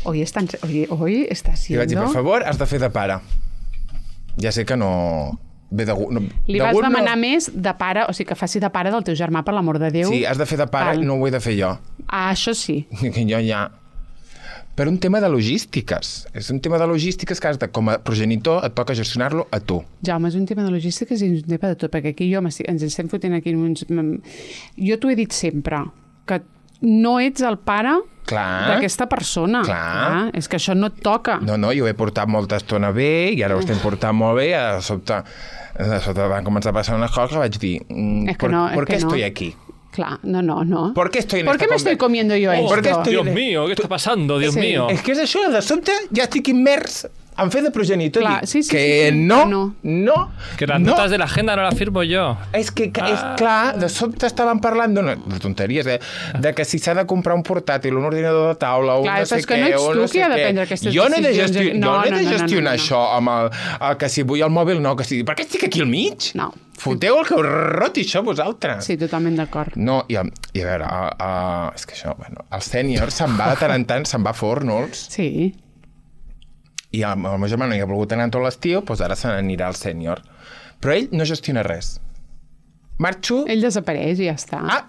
Hoy, están, hoy, hoy está siendo... Li vaig dir, per favor, has de fer de pare. Ja sé que no... Ve de, no li vas demanar no... més de pare, o sigui, que faci de pare del teu germà, per l'amor de Déu. Sí, has de fer de pare, Val. No ho he de fer jo. Ah, això sí. Que jo ja... Per un tema de logístiques. És un tema de logístiques que has de, com a progenitor et toca gestionar-lo a tu. Jaume, és un tema de logístiques i un tema de tot, perquè aquí jo ens estem fotent aquí uns... Jo t'ho he dit sempre, que no ets el pare d'aquesta persona. Clar. Ah, és que això no et toca. No, no, jo ho he portat molta estona bé i ara ho estem portant molt bé i de sobte, de sobte van començar a passar unes coses que vaig dir, mm, que no, ¿por qué no. estoy aquí? Claro, no, no, no. ¿Por qué estoy en ¿Por esta qué me estoy comiendo yo esto? ¿Por qué estoy Dios en... mío, ¿qué está pasando? Dios sí. mío. És que és això, de sobte ja estic immers en fer de progenitor. Clar, sí, sí, que sí, sí. no, no, no. Que las no. notas de la agenda no las firmo yo. És que, que és clar, de sobte estaven parlant d'una, de tonteries, eh? De que si s'ha de comprar un portàtil, un ordinador de taula, un clar, no sé és que què, no ets tu no qui ha de prendre aquestes jo no he de decisions. gestionar, No, jo no he de no, no, gestionar no, no, no. això amb el, el que si vull el mòbil no, que si... Per què estic aquí al mig? No. Foteu el que us roti això vosaltres. Sí, totalment d'acord. No, i a, i a veure, a, a, és que això, bueno, el sènior se'n va de tant en tant, se'n va a Fornols. Sí. I el, el meu germà no hi ha volgut anar tot l'estiu, doncs ara se n'anirà al sènior. Però ell no gestiona res. Marxo... Ell desapareix i ja està. Ah,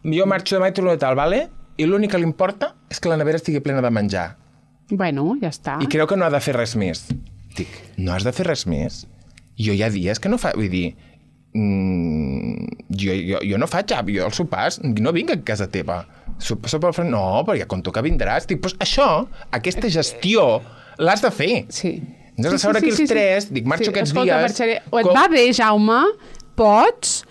jo marxo demà i torno de tal, vale? i l'únic que li importa és que la nevera estigui plena de menjar. Bueno, ja està. I creu que no ha de fer res més. Dic, no has de fer res més? Jo hi ha dies que no fa... Vull dir, mm, jo, jo, jo no faig, jo els sopars, no vinc a casa teva. Sopa, sopa al front, no, però ja conto que vindràs. Dic, doncs això, aquesta gestió, l'has de fer. Sí. Ens has de seure aquí els tres, dic, marxo aquests Escolta, dies... Marxaré. O et com, va bé, Jaume? Pots?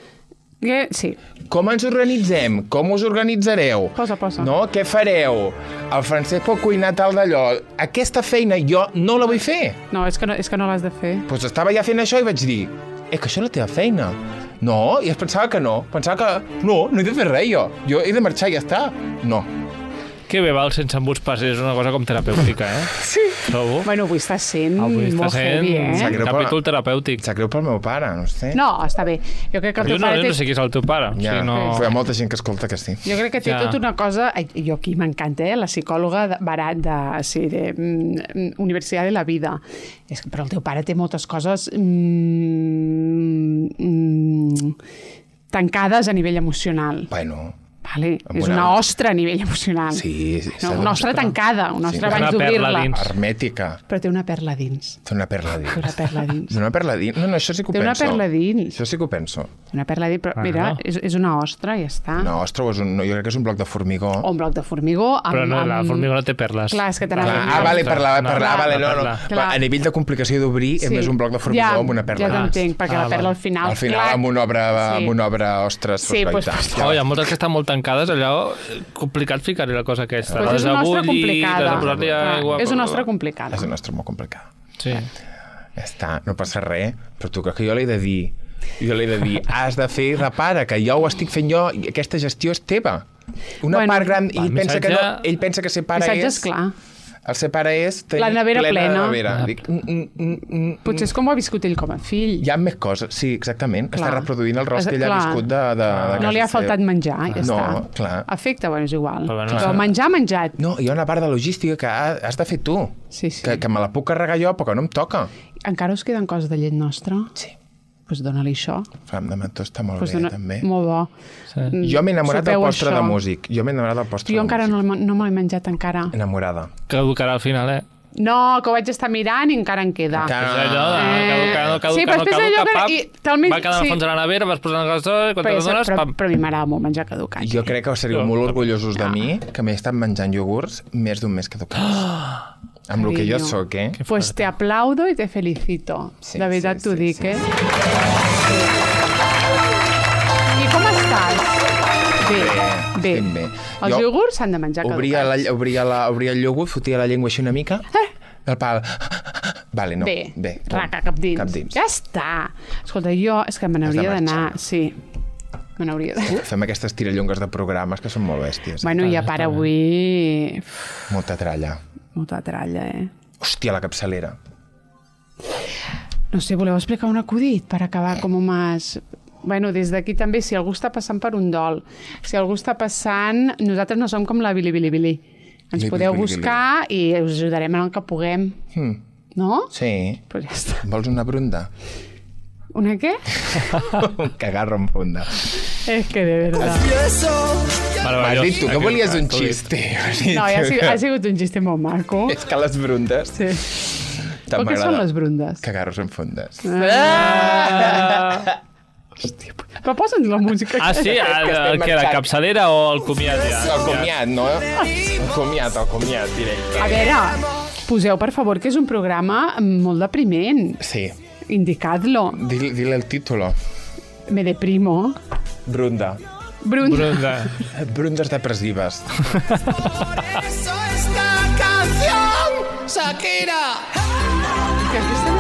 Que... Sí. Com ens organitzem? Com us organitzareu? Posa, posa. No? Què fareu? El Francesc pot cuinar tal d'allò. Aquesta feina jo no la vull fer. No, és que no, és que no l'has de fer. Doncs pues estava ja fent això i vaig dir, eh, que això és la teva feina. No, i es pensava que no. Pensava que no, no he de fer res jo. Jo he de marxar i ja està. No. Que bé, va, el sense embuts passes és una cosa com terapèutica, eh? Sí. Trobo. Bueno, avui està sent Avui està molt sent heavy, eh? Greu capítol per- terapèutic. Em sap greu pel meu pare, no sé. No, està bé. Jo crec que el Jo teu no, pare jo té... no sé qui és el teu pare. Ja, Sí, no... hi ha molta gent que escolta que sí. Jo crec que té Ja. tota una cosa... Ai, jo aquí m'encanta, eh? La psicòloga de, barat de, sí, de mm, Universitat de la Vida. És que, però el teu pare té moltes coses mm, mm, tancades a nivell emocional. Bueno, Vale? Amb És una- una ostra a nivell emocional. sí. sí No, una ostra tancada, una ostra Sí, abans una perla d'obrir-la. dins. Hermètica. Però té una perla dins. Té una perla dins. Té una perla dins. Té una perla dins? No, no, això sí que ho Té una penso. perla dins. Això sí que ho penso. Té una perla dins, però Bueno. mira, és, és una ostra, ja està. No, ostres, és un, no, jo crec que és un bloc de formigó. O un bloc de formigó amb... Però no, la amb... formigó no té perles. Clar, és que te Clar, n'has ah, vale, per la, per la, No, vale, la no, no. perla. Clar. A nivell de complicació d'obrir, és més un bloc de formigó ja, amb una perla. Ja t'entenc, perquè Ah, la perla val. al final... Al final, clar, amb una obra, sí. amb una obra ostres, Sí, pues, pues, ja. Oh, hi ha moltes que estan molt tancades, allò complicat ficar-hi la cosa aquesta. Pues La és una ostra desabulli, complicada. desabullar-li Clar, aigua... és una ostra complicada. És una ostra molt complicada. Sí. Ja està, no passa res, però tu creus que jo l'he de dir? Jo l'he de dir, has de fer, repara, que jo ho estic fent jo i aquesta gestió és teva. Una Bueno, part gran, va, ell pensa, que no, missatge- ell pensa que ser pare Missatge és... és clar. El ser pare és tenir La nevera plena. La nevera. Dic, mm, mm, mm, mm, Potser és com ho ha viscut ell com a fill. hi ha més coses, sí, exactament. Clar. Està reproduint el rost que ell ha Clar. viscut de, de, de No li ha casa faltat seva. menjar, ja No, està. clar. Afecte, bueno, és igual. Però bueno, Però clar. menjar, menjat. No, hi ha una part de logística que ha- has de fer tu. Sí, sí. Que, que me la puc carregar jo, però que no em toca. Encara us queden coses de llet nostra? Sí. Doncs pues dona-li això. Fam de mentó està molt Pues bé, dona... també. Molt bo. Sí. Jo m'he enamorat del Sopeu postre això. de músic. Jo m'he enamorat del postre Jo de encara músic. no, l'he- no me l'he menjat encara. Enamorada. Caducarà al final, eh? No, que ho vaig estar mirant i encara en queda. Encara- És allò de Eh, caducar, no caduca, sí, però no després allò caduca, que- pap, i talment- va quedar al sí. fons de la nevera, vas posant el gasó i quan te Però, n'adones, però, pam. però a mi m'agrada molt menjar caducat. Jo crec que seríeu No, molt no. orgullosos de mi, que m'he estat menjant iogurts més d'un mes caducats. Amb el que jo Carinyo. sóc, eh? Pues te aplaudo y te felicito. Sí, de veritat sí, t'ho sí, dic, sí, eh? I com estàs? Bé, bé. estic bé. Els Jo iogurts s'han de menjar Obria, la, caducats. obria, la, obria el iogurt, fotia la llengua així una mica, el pal... Vale, no. Bé, bé raca, cap dins. Cap dins. Ja està. Escolta, jo és que me n'hauria Has de d'anar... marxar. Sí, me n'hauria d'anar. Fem aquestes tirallongues de programes que són molt bèsties. Eh? Bueno, ja para avui... Molta tralla. Molta tralla, eh? Hòstia, la capçalera. No sé, voleu explicar un acudit per acabar com més... Bueno, des d'aquí també, si algú està passant per un dol, si algú està passant... Nosaltres no som com la Bili Bili Bili. Ens Bili, podeu Bili, buscar i us ajudarem en el que puguem. Hmm. No? Sí. Pues ja està. Vols una brunda? Una què? Un cagarro en funda. És que de verdad. M'has dit tu que volies un acudit. xiste. No, ja ha sigut, ha sigut un xiste molt maco. És que les brundes... Sí. tant Però què són m'agrada. les brundes? Cagarros en fundes. Ah, Però posa'ns la música. ah sí? que El, estem el, que, la marxant. capçalera o el comiat ja? El comiat, no? El comiat, el comiat, directe. A veure, poseu, per favor, que és un programa molt depriment. Sí. Indicadlo. Dile, dile el título. Me deprimo. Brunda. Brunda. Brunda. Brundes depressives. Que aquesta